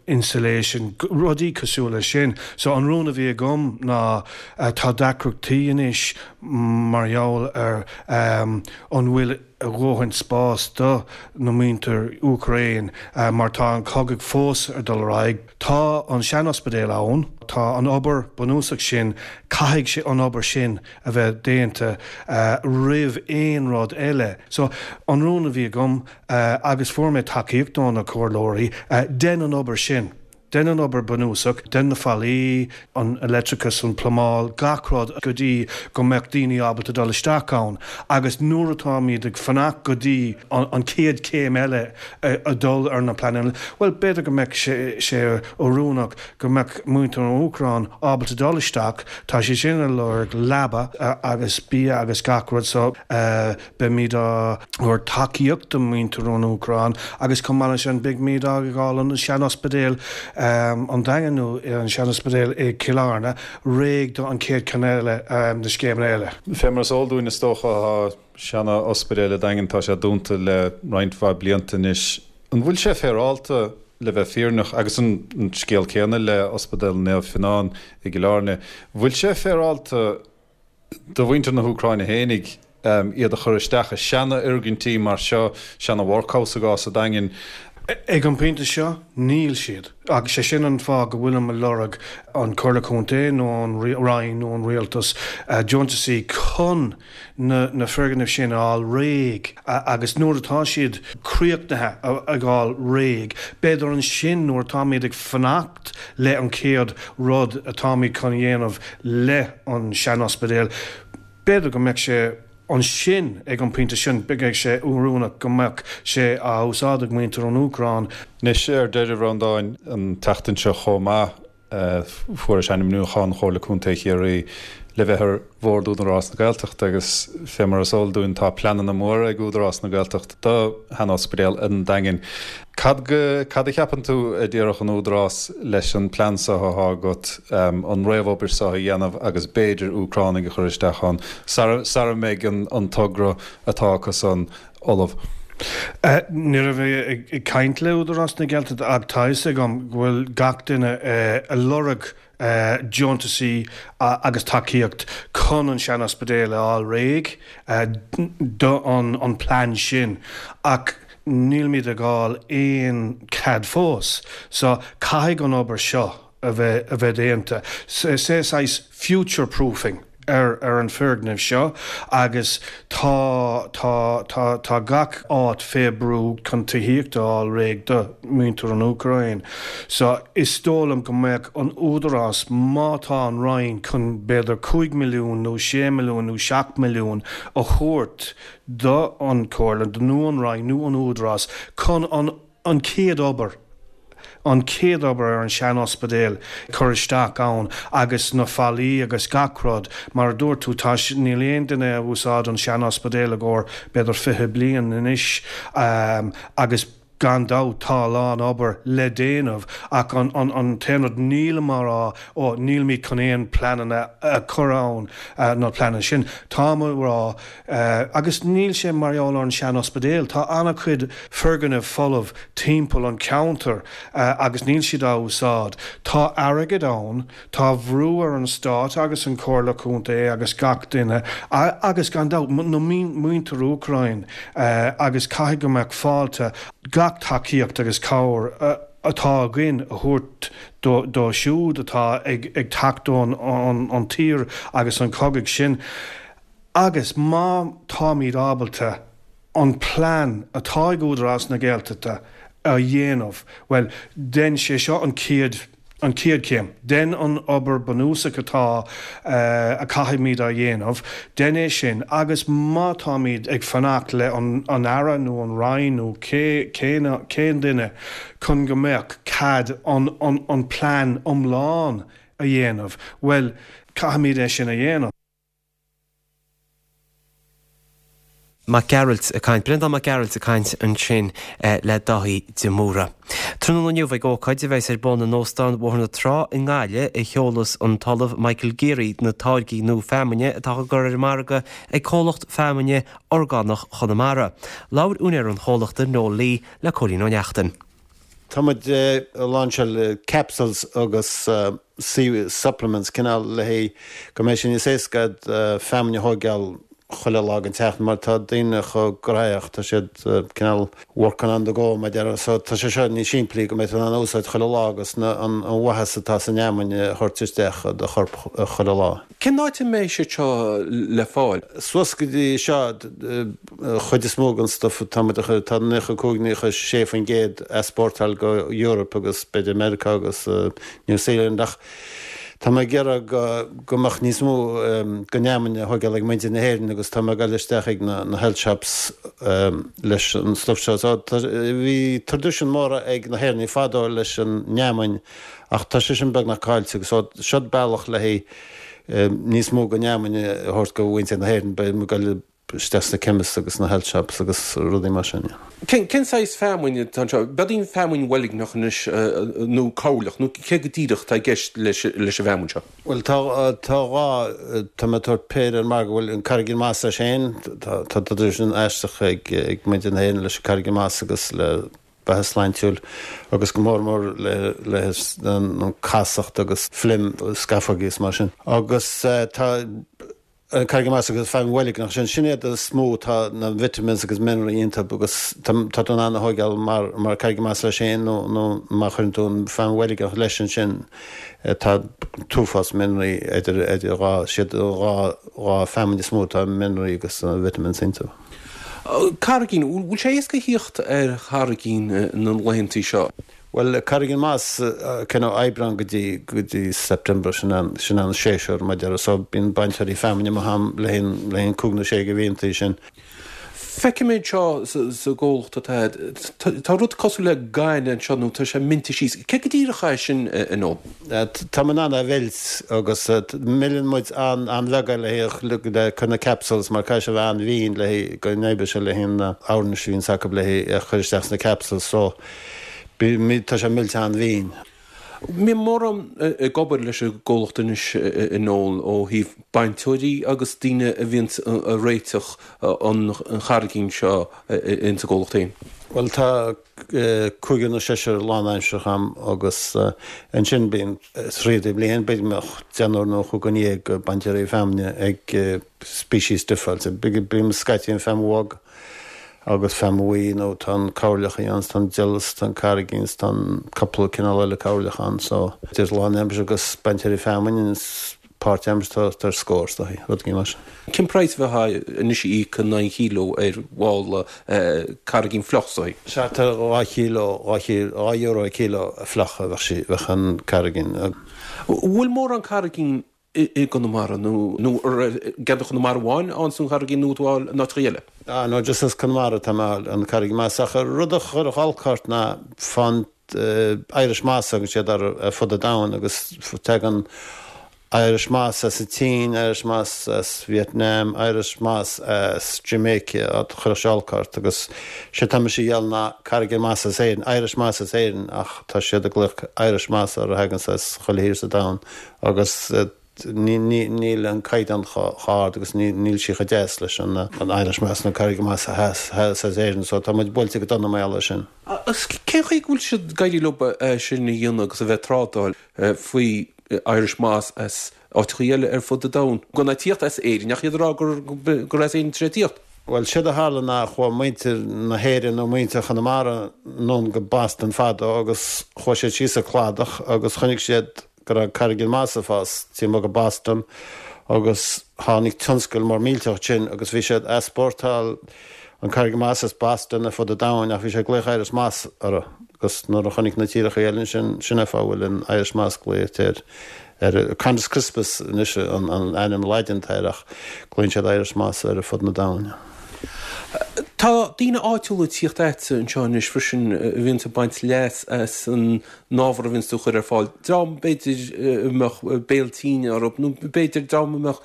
insulation, rudaí cosúil leis sin. So an rún a bhí agam ná tá deacrachtaí anois mar gheall ar an bhfuil a dhóthain spás do na muintir Úcráin mar tá an cogadh fós ag dul ar aghaidh. Tá an sean-ospidéal ann, tá an obair bunúsach sin, caithfidh sé an obair sin a bheith déanta roimh aon rud eile. So an rún a bhí agam agus fuair mé tacaíocht ó na comhairleoirí, dein an obair sin. Dein an obair bunúsach, dein na fallaí, an leictreachas, an plumáil, gach rud go dtí go mbeadh daoine ábalta dul isteach ann. Agus nuair atáimid ag fanacht go dtí an chéad chéim eile a dul ar na pleananna, bhuel, b'fhéidir go mbeadh sé oiriúnach go mbeadh muintir an Úcráin ábalta dul isteach, tá siad sin ag lorg leaba agus bia agus gach rud so beimid á thabhairt tacaíocht do mhuintir an Úcráin agus chomh maith leis sin beimid á fháil an sean-ospidéal an Daingean nó an sean-ospidéal i gCill Airne réidh do an chéad cheann eile na scéimeanna eile. Fé mar is eol dúinn is dócha tá seana-ospidéal an Daingin tá sé dúnta le roinnt mhaith blianta anois. An bhfuil sé féaráilte le bheith fírinneach, agus an scéal céanna le Ospidéal Naomh Fionnán i gCill Airne, bhfuil sé féaráilte do mhuintir na hÚcráine fhéinig iad a chur isteach i seana-fhoirgintí mar seo, seana-workhouse i gcás an Daingin? Ag an bpointe seo, níl siad. Agus sé sin an fáth go bhfuilim ag lorg an Comhairle Contae nó an Roinn nó an Rialtas deontasaí chun na na foirgnimh sin a fháil réidh agus nuair atá siad críochnaithe a fháil réidh, b'fhéidir ansin nuair atáimid ag fanacht le an chéad rud atáimid chun a dhéanamh le an sean-ospidéal, b'fhéidir go mbeadh sé ansin ag an pointe sin, beidh sé oiriúnach go mbeadh sé á úsáid ag muintir an Úcráin. Anois ar deireadh, a Bhreandáin, an tseachtain seo chomh maith, fuairis ainmniúchán Chomhairle Contae Chiarraí le bheith ar Bhord Údarás na Gaeltachta agus fé mar is eol dúinn tá pleananna móra ag Údarás na Gaeltachta do shean-ospidéal an Daingin. Cad go, cad a cheapann tú a déarfadh an Údarás leis an plean seo athá agat, an réamhobair seo a dhéanamh agus b'fhéidir Úcránaigh a chur isteach ann sara, sara mbeidh an, an togra atá acu san ullamh? Ní raibh mé ag caint le Údarás na Gaeltachta ach tá fhios agam go bhfuil gach duine ag lorg deontasaí agus tacaíocht chun an sean-ospidéal a fháil réidh do an plean sin ach nílimid ag fháil aon cead fós so caithfidh an obair seo a bheith a bheith déanta. Is é saghas future proofing ar ar an foirgneamh seo agus tá tá tá tá gach áit fé brú chun tithíocht a fháil réidh do mhuintir an Úcráin. So is dóigh liom go mbeadh an Údarás má tá an Roinn chun b'fhéidir cúig milliún nó sé milliún nó seacht milliún a thabhairt do an Chomhairle nó an Roinn nó an Údarás chun an an chéad obair, an chéad obair ar an sean-ospidéal cur isteach ann agus na fallaí agus gach rud, mar a dúirt tú, tá, níl aon duine a úsáid an sean-ospidéal i gcomhair b'fhéidir fiche bliain anois agus gan dabht tá a lán obair le déanamh ach an, an, an t-aon rud, nílim á rá, ó, nílimid chun aon pleananna a chur ann, na pleananna sin, táim á rá, Agus níl sé mar gheall ar an sean-ospidéal. Tá an-chuid foirgneamh folamh timpeall an cheantair agus níl siad á úsáid. Tá airgead ann, tá brú ar an Stát agus an Chomhairle Contae agus gach duine agus gan dabht na muintir Úcráin agus caithfidh go mbeadh fáilte gach tacaíocht agus cabhair atá againn a thabhairt dóibh siúd atá ag teacht ón tír agus an cogadh sin. Agus má táimid ábalta an plean atá ag Údarás na Gaeltachta a dhéanamh, bhuel, dein sé seo an chéad an chéad chéim. Dein an obair bunúsach atá a caithfimid a dhéanamh, dein é sin agus má táimid ag fanacht le an an Aire nó an Roinn nó cé cén cén duine chun go mbeadh cead an an an plean iomlán a dhéanamh, bhuel, caithfimid é sin a dhéanamh. Mac Gearailt ag caint, Breandán Mac Gearailt ag caint ansin le Dáithí de Mórdha. Tráthnóna inniu ag ócáid a bheas ar bun in Óstán Bhóthar na Trá i nGaillimh a sheolfas an tOllamh Michael Geary na táirgí nua feamainne atá á gcur ar an margadh ag comhlacht feamainne orgánach Chonamara. Labhair úinéir an chomhlachta Noel Lee le Cóilín Ó Neachtain. Tá muid ag lainseáil capsules agus supplements cineál le haghaidh go mbeidh sé níos éasca feamainn a thógáil chuile lá den tseachtain mar tá daoine chomh gnóthach, tá siad cineál working on the go mar a déarfá so tá sé seo níos simplí go mbeidh tú in ann a úsáid chuile lá agus na an mhaitheas atá san fheamainn a thabhairt isteach i do chorp chuile lá. Cén áit a mbeidh siad seo le fáil? Suas go dtí seo, chuid is mó den stuff atá muid a chur, tá naocha cúig, naocha sé faoin gcéad easpórtáil go Europe agus b'fhéidir Meiriceá agus New Zealand ach Tá mé ag iarraidh go mbeadh níos mó den fheamainn á thógáil ag muintir na hÉireann agus tá mé ag dul isteach ag na health shops leis an stuff seo. So bhí traidisiún mór ag na hÉireannaigh fadó leis an fheamainn ach tá sé sin beagnach caillte agus so seo bealach le haghaidh níos mó den fheamainn a thabhairt go mhuintir na hÉireann. Beidh mé ag dul isteach sna chemists agus sna health shops agus rudaí mar sin. Cén cén saghas feamainn atá anseo? B'fhéidir feamainn bhoilgneach anois nó cabhairleach nó cé go díreach atá i gceist leis leis an bhfeamainn seo? Bhuel tá tá dhá tá mé ag tabhairt péire ar an margadh bhuel an Carraigín Moss as féin tá tá traidisiún aisteach ag ag muintir na hÉireann leis an Carraigín Moss agus le beatha sláintiúil agus go mór mór le le an casacht agus phlegm scamhógaí is mar sin. Agus tá An Carraigín Moss agus feamainn bhoilgneach sin, sin iad is mó tá na vitamins agus mineral iontu agus tá tú in ann a thógáil mar mar Carraigín Moss leis féin nó nó má chuireann tú an feamainn bhoilgneach leis ansin tá t-uafás mineral idir idir dhá siad dhá dhá feamainn is mó atá mineral agus vitamins iontu. Carraigín, bhfuil sé éasca a thíocht ar charraigín na laethantaí seo? Bhuel, Carraigín Moss, cineál Aibreán go dtí, go dtí September, sin an, sin an séasúr mar a déarfá, so bíonn bainteoirí feamainne amuigh am le haghaidh, le haghaidh cúig nó sé de mhíontaí sin. Feicim é anseo sa, sa gcomhlacht atá agat, tá rud cosúil le gainne anseo nó tá sé millte síos. Cé go díreach é sin, a Noel? Tá mé in ann é a mheilt agus milleann muid an, an-bheag é le haghaidh, le cur na capsules mar caithfidh sé a bheith an-mhín le haghaidh go n-oibreoidh sé le haghaidh na oirnis a bhíonns acu le haghaidh a chur isteach sna capsules so Tá sé millte an-mhín. Mbíonn mórán ag obair leis an gcomhlacht anois a Noel ó thaobh bainteoirí agus daoine a bhíonn ag réiteach an charraigín seo ins an gcomhlacht féin. Bhuel tá cúigear nó seisear lánaimseartha agam agus ansin bíonn tríd an bhliain b'fhéidir go mbeadh deichniúr nó chúig déag bainteoirí feamainne ag species difriúil. Bíonn scaití an feamainn bhog agus feamainn bhuí nó tá an cabhairleach ann, tá an deil 's tá an carraigín 's tá an cúpla cineál eile cabhairleach ann so idir lánaimseartha agus bainteoirí feamainne is páirtaimseartha tá ar scór is dóichí, rud éigin mar sin. Cén praghas a bheifeá anois a íoc in aghaidh an chíló ar mhála carraigín fliuch is dóichí? Sea tá dhá chíló, dhá chíló, dhá euro an cíló fliuch a bheadh sí, bheadh an carraigín. Bhfuil mórán carraigín i gConamara nó nó i gceantar Chonamara amháin a fhaigheann tú an carraigín nó tú á fháil in áiteacha eile? Ah no just as Conamara atá mé a fháil an carraigín moss ach an rud a chuirfeadh olc ort ná fán Irish moss a thugann siad air ar fud an domhain agus tagann Irish moss as an tSín, Irish moss as Vietnam, Irish moss as Jamaica a chuirfeadh sé olc ort agus sé tá mise a dhíol ná carraigín moss as Éirinn, Irish moss as Éirinn ach tá siad ag glaoch Irish moss ar a thagann as chuile thír sa domhan agus níl an caighdeán chomh hard agus níl sí chomh deas leis an Irish Moss nó Carraigín Moss as Éirinn so tá muid buailte go dona mar gheall air sin. Agus cén chaoi go bhfuil siad ag éirí leo é sin a dhéanamh agus a bheith ag trádáil faoi Irish Moss as áiteachaí eile ar fud an domhain, gan é tíocht as Éirinn ach iad ag rá gur as Éirinn atá sé tíocht? Bhuel, séard a tharla ná chuaigh muintir na hÉireann nó muintir Chonamara anonn go Boston fadó agus chuaigh siad síos an cladach agus chonaic siad go raibh carraigín moss ag fás taobh amuigh de Boston agus tháinig tionscal mór millteach ansin agus bhí siad ag easpórtáil an Carraigín Moss as Boston ar fud an domhain ach bhí sé ag glaoch Irish Moss orthu agus nuair a chonaic na tíreacha eile ansin, sin é fáth a bhfuil an Irish Moss glaoite ar ar Chondrus crispus anois an an ainm Laidin atá air ach glaonn siad Irish Moss air ar fud na domhain. Tá daoine áitiúla ag tíocht agatsa anseo anois freisin a bhíonns ag baint leas as an ábhar a bhíonns tú a chur ar fáil, dream b'fhéidir a mbeadh béal tinn orthu nó b'fhéidir dream a mbeadh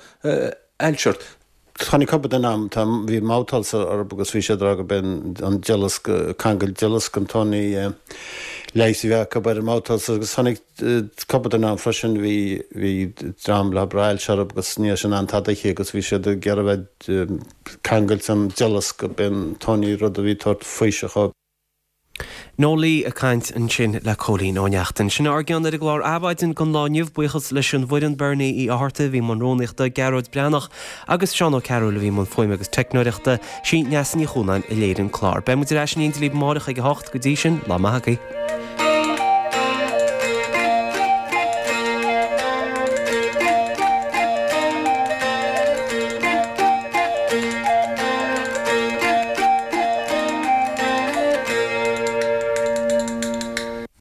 ailse orthu. Tháinig cúpla duine agam, tá, bhí mouth ulcer orthu agus bhí siad ag rá gurb é an duileasc, cangail duileasc an t-aon leigheas a bhí acu ar an mouth ulcer agus tháinig cúpla duine agam freisin, bhí, bhí dream le raibh ailse orthu agus ní raibh siad in ann tada a ithe agus bhí siad ag iarraidh bheith cangailte an duileasc, gurb é an t-aon rud a bhí ag tabhairt faoiseamh dhóibh. Noel Lee ag caint ansin le Cóilín Ó Neachtain. Sin ár gceann ar an gclár Adhmhaidin don lá inniu. Buíochas leis an bhfoireann, Bernie Uí Fhátharta a bhí i mbun rúnaíochta, Gearóid Breathnach agus Seán Ó Cearúil a bhí i mbun fuaime agus teicneoireachta. Sí Neasa Ní Chuanáin a léirigh an clár. Beidh muid ar ais in éindí libh amárach ag a hocht. Go dtí sin, lá maith agaibh.